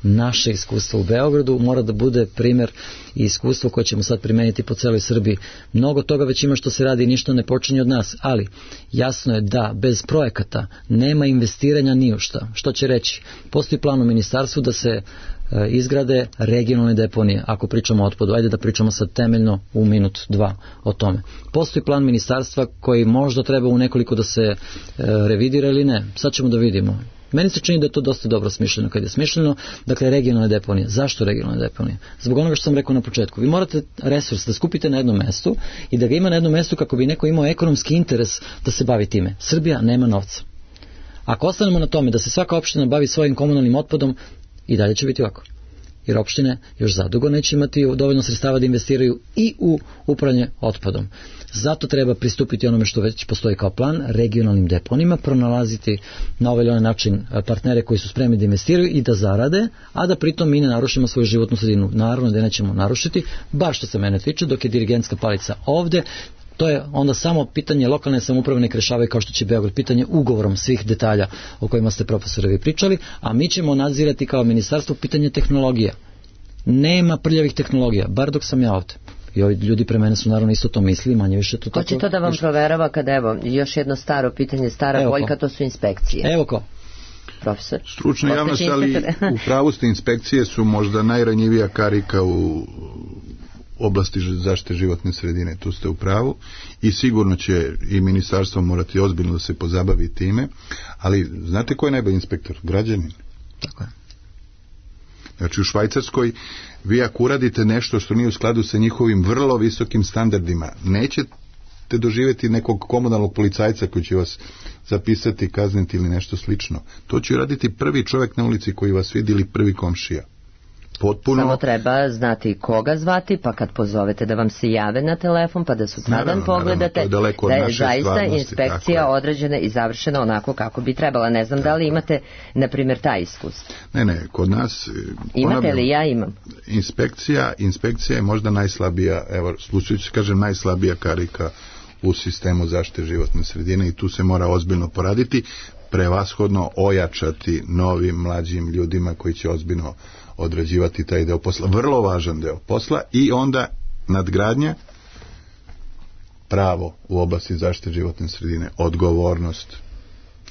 Naše iskustvo u Beogradu mora da bude primjer i iskustvo koje ćemo sad primeniti po celoj Srbiji. Mnogo toga već ima što se radi i ništa ne počinje od nas, ali jasno je da bez projekata nema investiranja ni u šta. Što će reći? Postoji plan u ministarstvu da se e, izgrade regionalne deponije, ako pričamo o otpadu. Ajde da pričamo sad temeljno u minut, dva o tome. Postoji plan ministarstva koji možda treba u nekoliko da se e, revidira ili ne. Sad ćemo da vidimo. Meni se čini da je to dosta dobro smišljeno kad je smišljeno. Dakle, regionalne deponije. Zašto regionalne deponije? Zbog onoga što sam rekao na početku. Vi morate resurs da skupite na jednom mestu i da ga ima na jednom mestu kako bi neko imao ekonomski interes da se bavi time. Srbija nema novca. Ako ostanemo na tome da se svaka opština bavi svojim komunalnim otpadom, i dalje će biti ovako. Jer opštine još zadugo neće imati dovoljno sredstava da investiraju i u upravljanje otpadom. Zato treba pristupiti onome što već postoji kao plan, regionalnim deponima, pronalaziti na ovaj ili onaj način partnere koji su spremni da investiraju i da zarade, a da pritom mi ne narušimo svoju životnu sredinu. Naravno da nećemo narušiti, bar što se mene tiče, dok je dirigentska palica ovde. To je onda samo pitanje lokalne samouprave nek rešavaju kao što će Beograd, pitanje ugovorom svih detalja o kojima ste profesore vi pričali, a mi ćemo nadzirati kao ministarstvo pitanje tehnologija. Nema prljavih tehnologija, bar dok sam ja ovde. I ovi ljudi pre mene su naravno isto to mislili, manje više to tako. Ko će to da vam proverava kada, evo, još jedno staro pitanje, stara evo boljka, ko. To su inspekcije. Evo ko. Profesor. Stručna javnost, ali u pravu ste, inspekcije su možda najranjivija karika u oblasti zaštite životne sredine, tu ste u pravu i sigurno će i ministarstvo morati ozbiljno da se pozabavi time, ali znate ko je najbolji inspektor? Građanin. Tako je. Znači u Švajcarskoj vi ako uradite nešto što nije u skladu sa njihovim vrlo visokim standardima, nećete doživjeti nekog komunalnog policajca koji će vas zapisati, kazniti ili nešto slično. To će raditi prvi čovjek na ulici koji vas vidi ili prvi komšija. Potpuno... Samo treba znati koga zvati, pa kad pozovete da vam se jave na telefon, pa da sutradan pogledate naravno, da je zaista inspekcija određena i završena onako kako bi trebala. Ne znam tako. Da li imate, na primjer, taj iskustvo. Ne, ne, kod nas... Imate ponavljam, li? Ja imam. Inspekcija, inspekcija je možda najslabija, evo, slučajući se kažem, najslabija karika u sistemu zaštite životne sredine i tu se mora ozbiljno poraditi, prevashodno ojačati novim mlađim ljudima koji će ozbiljno odrađivati taj deo posla, vrlo važan deo posla i onda nadgradnja, pravo u oblasti zaštite životne sredine, odgovornost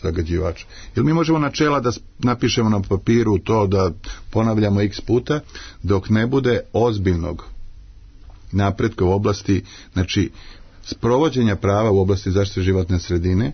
zagađivača. Jer mi možemo načela da napišemo na papiru to da ponavljamo x puta, dok ne bude ozbiljnog napretka u oblasti, znači sprovođenja prava u oblasti zaštite životne sredine,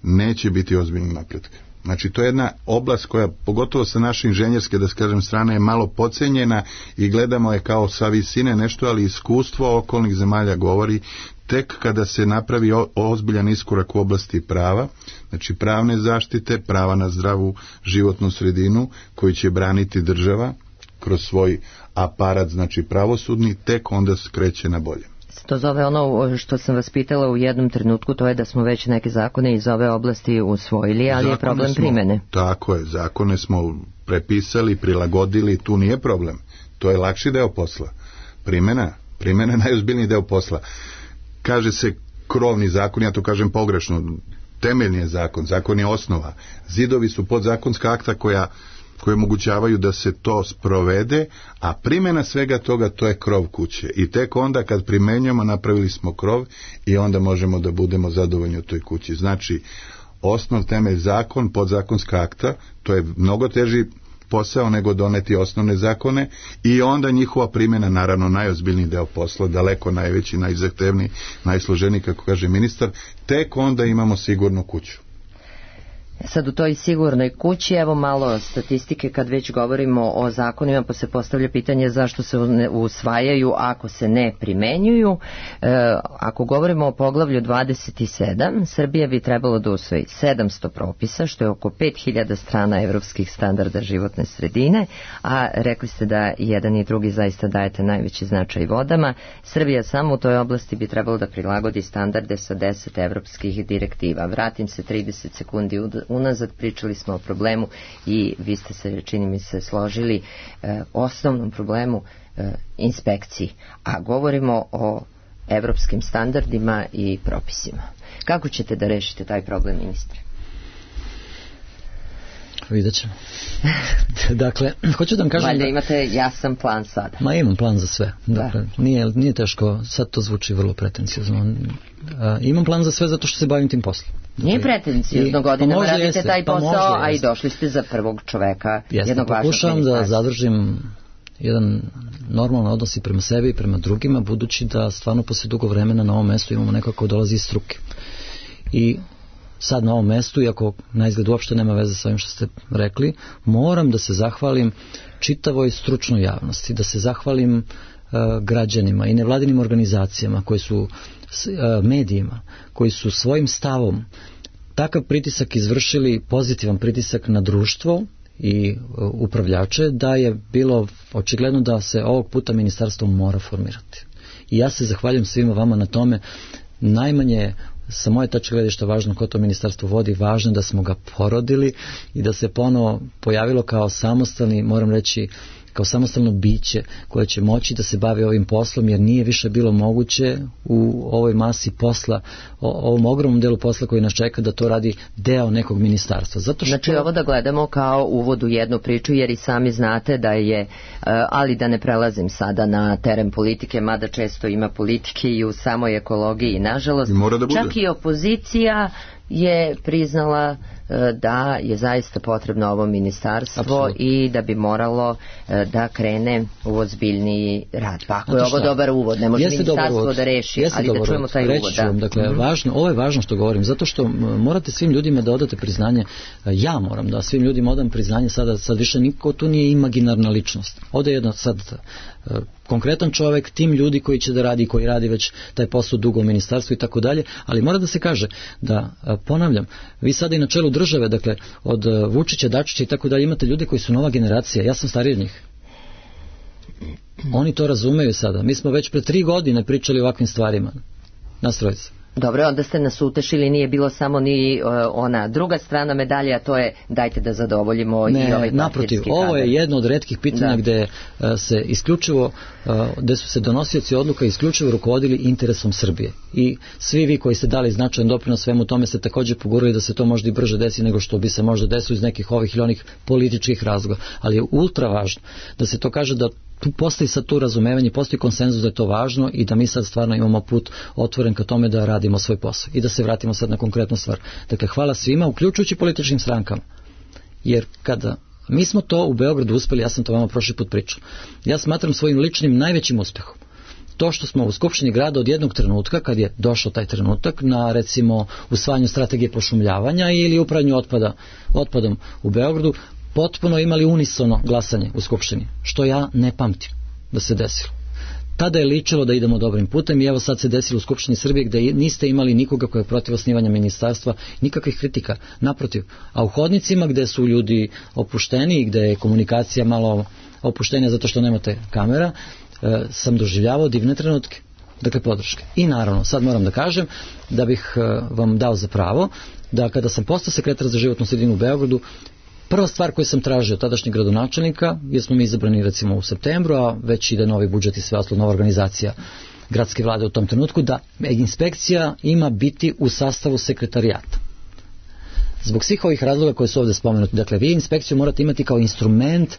neće biti ozbiljnog napretka. Znači to je jedna oblast koja, pogotovo sa naše inženjerske, da kažem, strane je malo podcenjena i gledamo je kao sa visine nešto, ali iskustvo okolnih zemalja govori tek kada se napravi ozbiljan iskorak u oblasti prava, znači pravne zaštite, prava na zdravu životnu sredinu koji će braniti država kroz svoj aparat, znači pravosudni, tek onda se kreće na bolje. To zove ono što sam vas pitala u jednom trenutku, to je da smo već neke zakone iz ove oblasti usvojili, ali zakone je problem smo, primene. Tako je, zakone smo prepisali, prilagodili, tu nije problem. To je lakši deo posla. Primena, primena je najozbiljniji deo posla. Kaže se krovni zakon, ja to kažem pogrešno, temeljni je zakon, zakon je osnova. Zidovi su podzakonska akta koja, koje omogućavaju da se to sprovede, a primjena svega toga to je krov kuće. I tek onda kad primenjamo napravili smo krov i onda možemo da budemo zadovoljni u toj kući. Znači, osnov, temelj, zakon, podzakonska akta, to je mnogo teži posao nego doneti osnovne zakone i onda njihova primjena, naravno najozbiljniji deo posla, daleko najveći, najzahtevniji, najsloženiji, kako kaže ministar, tek onda imamo sigurnu kuću. Sad u toj sigurnoj kući, evo malo statistike kad već govorimo o zakonima, pa se postavlja pitanje zašto se usvajaju ako se ne primenjuju. E, ako govorimo o poglavlju dvadeset sedam, Srbija bi trebalo da usvoji sedamsto propisa, što je oko pet hiljada strana evropskih standarda životne sredine, a rekli ste da jedan i drugi zaista dajete najveći značaj vodama. Srbija samo u toj oblasti bi trebalo da prilagodi standarde sa deset evropskih direktiva. Vratim se trideset sekundi unazad, pričali smo o problemu i vi ste se, čini mi se, složili e, osnovnom problemu e, inspekciji, a govorimo o evropskim standardima i propisima. Kako ćete da rešite taj problem, ministre? Vidjet ćemo. Dakle, hoću da vam kažem... Valjda da... imate jasan plan sada. Ma imam plan za sve. Dakle, da. nije, nije teško, sad to zvuči vrlo pretencijozno. Uh, imam plan za sve zato što se bavim tim poslom. Dakle, nije pretencijozno, godinama pa radite jeste, taj posao, pa a i došli ste za prvog čoveka, jeste, jednog vašeg ministarstva. pokušavam da zadržim jedan normalan odnos i prema sebi i prema drugima, budući da stvarno posle dugo vremena na ovom mestu imamo neko ko dolazi iz struke. I sad na ovom mestu, iako na izgled uopšte nema veze sa ovim što ste rekli, moram da se zahvalim čitavoj stručnoj javnosti, da se zahvalim uh, građanima i nevladinim organizacijama koji su uh, medijima, koji su svojim stavom takav pritisak izvršili, pozitivan pritisak na društvo i uh, upravljače, da je bilo očigledno da se ovog puta ministarstvo mora formirati. I ja se zahvaljujem svima vama na tome. Najmanje sa moje tačke gledišta važno ko to ministarstvo vodi, važno da smo ga porodili i da se ponovo pojavilo kao samostalni, moram reći, kao samostalno biće koje će moći da se bavi ovim poslom, jer nije više bilo moguće u ovoj masi posla, o, ovom ogromnom delu posla koji nas čeka, da to radi deo nekog ministarstva. Zato što... Znači ovo da gledamo kao uvod u jednu priču, jer i sami znate da je, ali da ne prelazim sada na teren politike, mada često ima politike i u samoj ekologiji, nažalost, da čak i opozicija je priznala da je zaista potrebno ovo ministarstvo. Absolutno. I da bi moralo da krene u ozbiljniji rad. Pa ako je ovo dobar uvod, ne može Jeste ministarstvo da reši, Jeste ali da čujemo uvod. taj Reći uvod. Da. Dakle, mm-hmm. važno, ovo je važno što govorim, zato što morate svim ljudima da odate priznanje. Ja moram da svim ljudima odam priznanje, sada sad više niko tu nije imaginarna ličnost. Ovdje je jedna sad konkretan čovjek, tim ljudi koji će da radi, koji radi već taj posao dugo u ministarstvu i tako dalje, ali mora da se kaže da, ponavljam, vi sada i na čelu države, dakle, od Vučića, Dačića i tako dalje, imate ljude koji su nova generacija, ja sam stariji od njih. Oni to razumeju sada. Mi smo već pre tri godine pričali o ovakvim stvarima. Nas trojica. Dobro, onda ste nas utešili, nije bilo samo ni uh, ona druga strana medalje, a to je dajte da zadovoljimo ne, i ovaj naprotiv, partijski ovo kadar. je jedno od retkih pitanja da. gde uh, se isključivo, uh, gde su se donosioci odluka isključivo rukovodili interesom Srbije. I svi vi koji ste dali značajan doprinos svemu tome ste također pogurali da se to možda i brže desi nego što bi se možda desilo iz nekih ovih ili onih političkih razloga. Ali je ultra važno da se to kaže, da tu postoji sad tu razumevanje, postoji konsenzus da je to važno i da mi sad stvarno imamo put otvoren ka tome da radimo svoj posao. I da se vratimo sad na konkretnu stvar. Dakle, hvala svima, uključujući političkim strankama. Jer kada mi smo to u Beogradu uspeli, ja sam to vama prošli put pričao, ja smatram svojim ličnim najvećim uspehom to što smo u Skupštini grada od jednog trenutka, kad je došao taj trenutak, na recimo usvajanju strategije pošumljavanja ili upravljanju otpada, otpadom u Beogradu, potpuno imali unisono glasanje u Skupštini, što ja ne pamtim da se desilo. Tada je ličilo da idemo dobrim putem i evo sad se desilo u Skupštini Srbije gde niste imali nikoga koji je protiv osnivanja ministarstva, nikakvih kritika, naprotiv. A u hodnicima gde su ljudi opušteni i gde je komunikacija malo opuštenija zato što nemate kamera, e, sam doživljavao divne trenutke, dakle podrške. I naravno, sad moram da kažem da bih e, vam dao za pravo da kada sam postao sekretar za životnu sredinu u Beogradu, Prva stvar koju sam tražio od tadašnjeg gradonačelnika, jer smo mi izabrani recimo u septembru, a već ide novi budžet i sve ostalo, nova organizacija gradske vlade u tom trenutku, da inspekcija ima biti u sastavu sekretarijata. Zbog svih ovih razloga koje su ovdje spomenuti, dakle, vi inspekciju morate imati kao instrument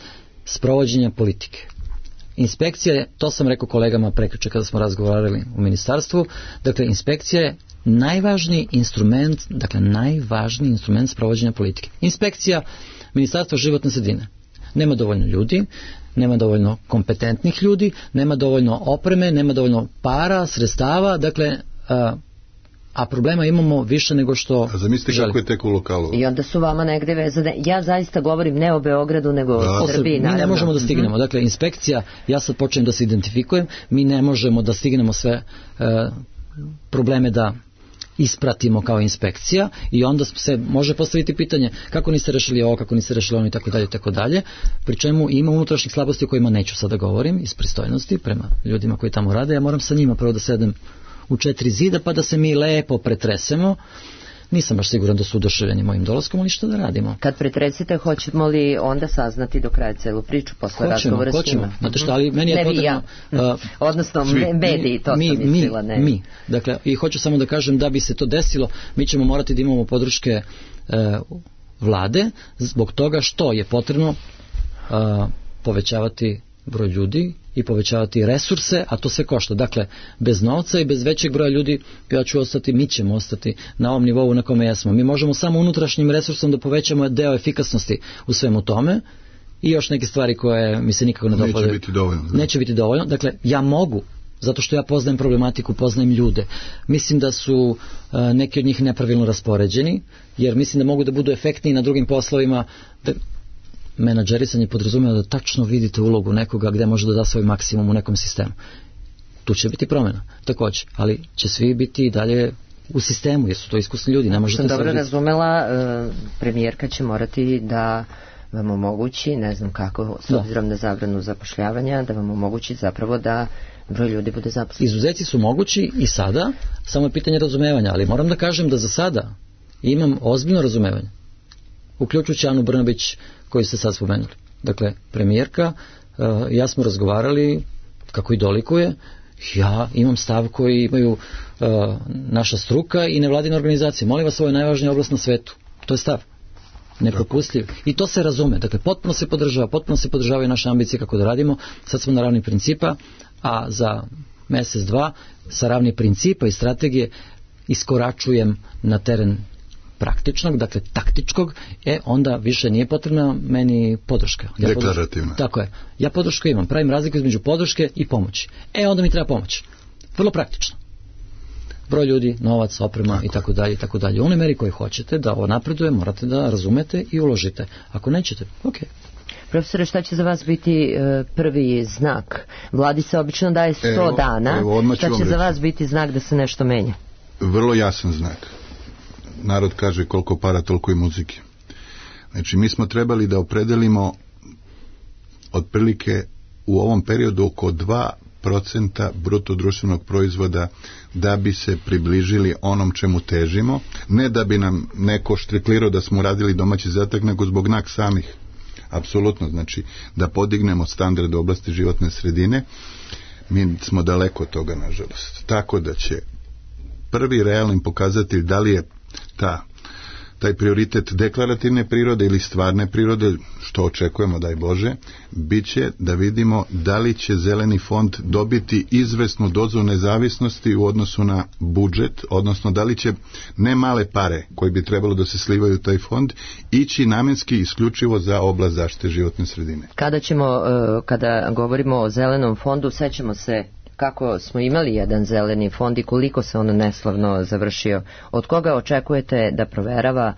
sprovođenja politike. Inspekcija je, to sam rekao kolegama prekjuče kada smo razgovarali u ministarstvu, dakle, inspekcija je najvažniji instrument, dakle, najvažniji instrument sprovođenja politike. Inspekcija Ministarstva životne sredine. Nema dovoljno ljudi, nema dovoljno kompetentnih ljudi, nema dovoljno opreme, nema dovoljno para, sredstava, dakle, a, a problema imamo više nego što a zamislite želi. Kako je tek u lokalu. I onda su vama negde vezane. Ja zaista govorim ne o Beogradu, nego o Srbiji. Mi ne možemo da stignemo. Mm-hmm. Dakle, inspekcija, ja sad počnem da se identifikujem, mi ne možemo da stignemo sve e, probleme da ispratimo kao inspekcija i onda se može postaviti pitanje kako niste rešili ovo, kako niste rešili ono i tako dalje i tako dalje, pri čemu ima unutrašnjih slabosti o kojima neću sada govorim iz pristojnosti prema ljudima koji tamo rade. Ja moram sa njima prvo da sedem u četiri zida pa da se mi lepo pretresemo. Nisam baš siguran da su oduševljeni mojim dolaskom, ali što da radimo. Kad pretresite, hoćemo li onda saznati do kraja celu priču posle razgovora s njima? Znate šta, ali meni je potrebno... Ja. Uh, Odnosno, svi, mediji, to mi, sam mislila, ne. Mi, dakle, i hoću samo da kažem da bi se to desilo, mi ćemo morati da imamo podrške uh, vlade, zbog toga što je potrebno uh, povećavati broj ljudi i povećavati resurse, a to sve košta. Dakle, bez novca i bez većeg broja ljudi ja ću ostati, mi ćemo ostati na ovom nivou na kome jesmo. Mi možemo samo unutrašnjim resursom da povećamo deo efikasnosti u svemu tome i još neke stvari koje mi se nikako ne dopadaju. Neće biti dovoljno. Neće biti dovoljno. Dakle, ja mogu, zato što ja poznajem problematiku, poznajem ljude. Mislim da su uh, neki od njih nepravilno raspoređeni, jer mislim da mogu da budu efektniji na drugim poslovima. Da, menadžerisanje podrazumijeva da tačno vidite ulogu nekoga gdje može da da svoj maksimum u nekom sistemu. Tu će biti promjena, također, ali će svi biti i dalje u sistemu, jer su to iskusni ljudi. Ne možete sam dobro biti... razumela, premijerka će morati da vam omogući, ne znam kako, s obzirom da. na zabranu zapošljavanja, da vam omogući zapravo da broj ljudi bude zaposlen. Izuzeci su mogući i sada, samo je pitanje razumevanja, ali moram da kažem da za sada imam ozbiljno razumevanje, uključujući Anu Brnabić koju ste sad spomenuli. Dakle, premijerka, uh, ja smo razgovarali kako i dolikuje, ja imam stav koji imaju uh, naša struka i nevladine organizacije. Molim vas, ovo je najvažnija oblast na svetu. To je stav. Nepropustljiv. I to se razume. Dakle, potpuno se podržava, potpuno se podržavaju naše ambicije kako da radimo. Sad smo na ravni principa, a za mjesec, dva, sa ravni principa i strategije iskoračujem na teren praktičnog, dakle taktičkog, e onda više nije potrebna meni podrška. Ja deklarativna. Tako je. Ja podršku imam. Pravim razliku između podrške i pomoći. E onda mi treba pomoć. Vrlo praktično. Broj ljudi, novac, oprema tako i tako dalje i tako dalje. U onoj meri koji hoćete da ovo napreduje, morate da razumete i uložite. Ako nećete, ok. Profesore, šta će za vas biti e, prvi znak? Vladi se obično daje sto evo, dana. Evo, šta će za vas biti znak da se nešto menja? Vrlo jasan znak. Narod kaže koliko para, toliko i muzike. Znači, mi smo trebali da opredelimo otprilike u ovom periodu oko dva procenta bruto društvenog proizvoda da bi se približili onom čemu težimo, ne da bi nam neko štriklirao da smo radili domaći zadatak, nego zbog nas samih. Apsolutno, znači da podignemo standard u oblasti životne sredine. Mi smo daleko od toga, nažalost. Tako da će prvi realni pokazatelj da li je ta, taj prioritet deklarativne prirode ili stvarne prirode, što očekujemo, daj Bože, bit će da vidimo da li će zeleni fond dobiti izvesnu dozu nezavisnosti u odnosu na budžet, odnosno da li će ne male pare koji bi trebalo da se slivaju u taj fond ići namenski isključivo za oblast zaštite životne sredine. Kada ćemo, kada govorimo o zelenom fondu, sećamo se kako smo imali jedan zeleni fond i koliko se on neslavno završio. Od koga očekujete da proverava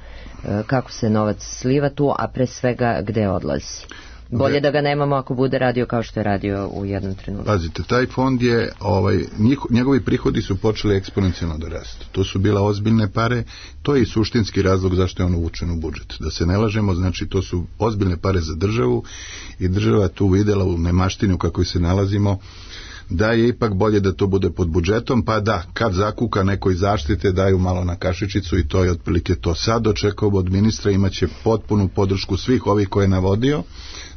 kako se novac sliva tu, a pre svega gde odlazi? Bolje da ga nemamo ako bude radio kao što je radio u jednom trenutku. Pazite, taj fond je, ovaj, njih, njegovi prihodi su počeli eksponencijalno da rastu. To su bila ozbiljne pare, to je i suštinski razlog zašto je on uvučen u budžet. Da se ne lažemo, znači to su ozbiljne pare za državu i država tu videla u nemaštini u kakvoj se nalazimo, da je ipak bolje da to bude pod budžetom, pa da kad zakuka neko iz zaštite daju malo na kašičicu i to je otprilike to. Sad očekujemo od ministra, imaće potpunu podršku svih ovih koje je navodio,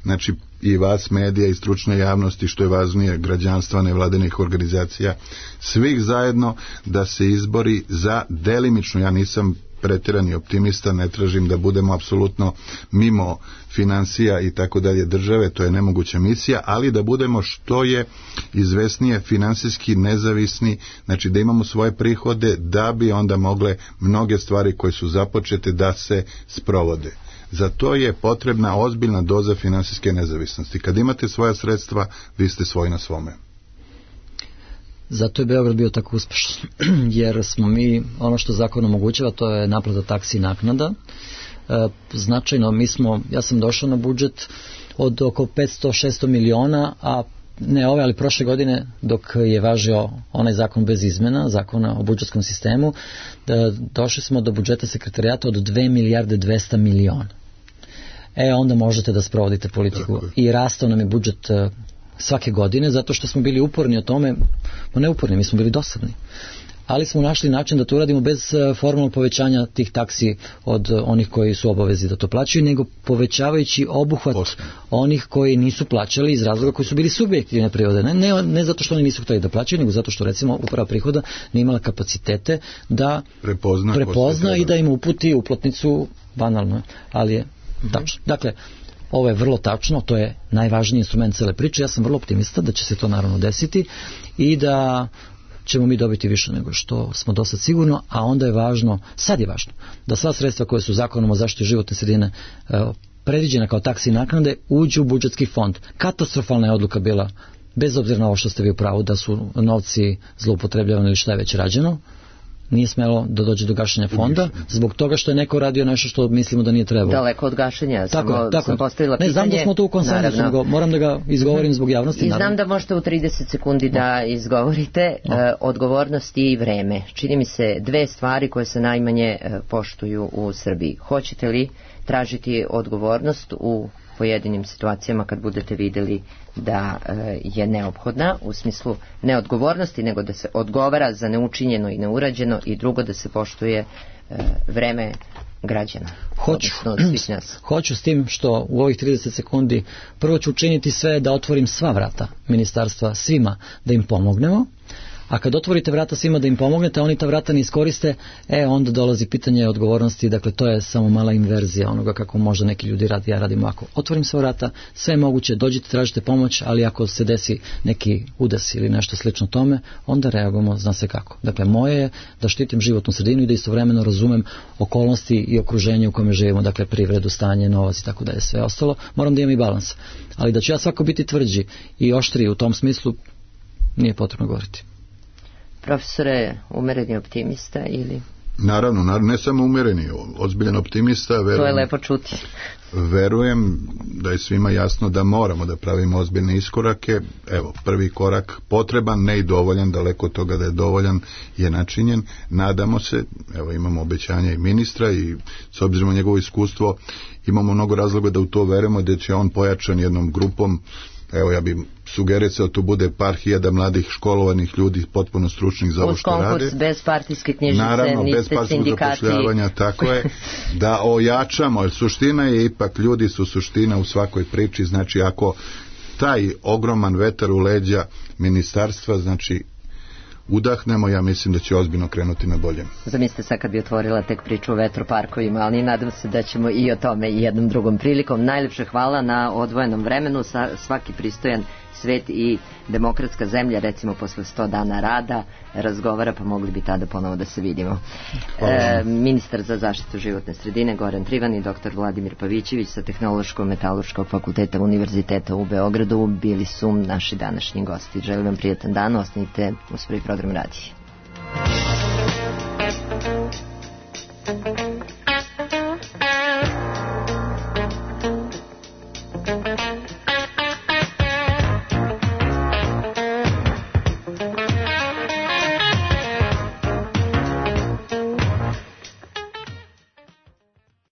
znači i vas medija i stručne javnosti, što je važnije, građanstva, nevladinih organizacija, svih zajedno da se izbori za delimično, ja nisam pretirani optimista, ne tražim da budemo apsolutno mimo financija i tako dalje države, to je nemoguća misija, ali da budemo što je izvesnije finansijski nezavisni, znači da imamo svoje prihode, da bi onda mogle mnoge stvari koje su započete da se sprovode. Za to je potrebna ozbiljna doza finansijske nezavisnosti. Kad imate svoja sredstva, vi ste svoji na svome. Zato je Beograd bio tako uspešan, jer smo mi, ono što zakon omogućava, to je naplata taksi i naknada. E, značajno, mi smo, ja sam došao na budžet od oko petsto do šesto miliona, a ne ove, ali prošle godine, dok je važio onaj zakon bez izmena, zakona o budžetskom sistemu, da došli smo do budžeta sekretarijata od dve milijarde dvesta miliona. E, onda možete da sprovodite politiku. I rastao nam je budžet svake godine, zato što smo bili uporni o tome, no ne uporni, mi smo bili dosadni. Ali smo našli način da to uradimo bez formalnog povećanja tih taksi od onih koji su obavezi da to plaćaju, nego povećavajući obuhvat Pošto. onih koji nisu plaćali iz razloga koji su bili subjektivne prirode. Ne, ne, ne zato što oni nisu htjeli da plaćaju, nego zato što recimo uprava prihoda nije imala kapacitete da prepozna, prepozna i da im uputi uplatnicu banalno, ali je tačno. Dakle, ovo je vrlo tačno, to je najvažniji instrument cele priče. Ja sam vrlo optimista da će se to naravno desiti i da ćemo mi dobiti više nego što smo do sad sigurno, a onda je važno, sad je važno, da sva sredstva koje su zakonom o zaštiti životne sredine e, predviđena kao taksi i naknade uđu u budžetski fond. Katastrofalna je odluka bila, bez obzira na ovo što ste vi u pravu, da su novci zloupotrebljavani ili šta je već rađeno, nije smelo da dođe do gašenja fonda, zbog toga što je neko radio nešto što mislimo da nije trebalo. Daleko od gašenja, tako, samo tako. sam postavila pitanje. Ne, znam da smo to u konsenzusu, nego moram da ga izgovorim zbog javnosti. I naravno. znam da možete u trideset sekundi no. da izgovorite no. e, odgovornost i vreme. Čini mi se dve stvari koje se najmanje e, poštuju u Srbiji. Hoćete li tražiti odgovornost u pojedinim situacijama kad budete vidjeli da e, je neophodna, u smislu neodgovornosti, nego da se odgovara za neučinjeno i neurađeno, i drugo da se poštuje e, vreme građana. Hoću, hoću s tim što u ovih trideset sekundi prvo ću učiniti sve da otvorim sva vrata ministarstva svima da im pomognemo. A kad otvorite vrata svima da im pomognete, oni ta vrata ne iskoriste, e onda dolazi pitanje odgovornosti, dakle to je samo mala inverzija onoga kako možda neki ljudi radi, ja radim ovako. Otvorim sva vrata, sve je moguće, dođite, tražite pomoć, ali ako se desi neki udes ili nešto slično tome, onda reagujemo, zna se kako. Dakle, moje je da štitim životnu sredinu i da istovremeno razumem okolnosti i okruženje u kojem živimo, dakle privredu, stanje, novac i tako da je sve ostalo, moram da imam i balans. Ali da ću ja svako biti tvrđi i oštriji u tom smislu, nije potrebno govoriti. Profesore, umereni optimista ili? Naravno, naravno, ne samo umereni, ozbiljan optimista. Verujem, to je lepo čuti. Verujem da je svima jasno da moramo da pravimo ozbiljne iskorake. Evo, prvi korak potreban, ne i dovoljan, daleko od toga da je dovoljan, je načinjen. Nadamo se, evo imamo obećanja i ministra i s obzirom na njegovo iskustvo imamo mnogo razloga da u to verujemo, da će on pojačan jednom grupom. Evo, ja bih sugerisao, tu bude par hiljada mladih školovanih ljudi, potpuno stručnih za ovo što rade. Uz konkurs, bez partijske knjižice, naravno, niste bez partijskog zapošljavanja, tako je, da ojačamo, jer suština je ipak, ljudi su suština u svakoj priči, znači ako taj ogroman vetar u leđa ministarstva, znači udahnemo, ja mislim da će ozbiljno krenuti na bolje. Zamislite sad kad bi otvorila tek priču o vetroparkovima, ali nadam se da ćemo i o tome i jednom drugom prilikom. Najlepše hvala na odvojenom vremenu. Svaki pristojan svet i demokratska zemlja, recimo posle sto dana rada, razgovara, pa mogli bi tada ponovo da se vidimo. E, ministar za zaštitu životne sredine Goran Trivan i doktor Vladimir Pavićević sa Tehnološko-metalurškog fakulteta Univerziteta u Beogradu bili su naši današnji gosti. Želim vam prijatan dan, ostanite uz prvi program radija. Thank you.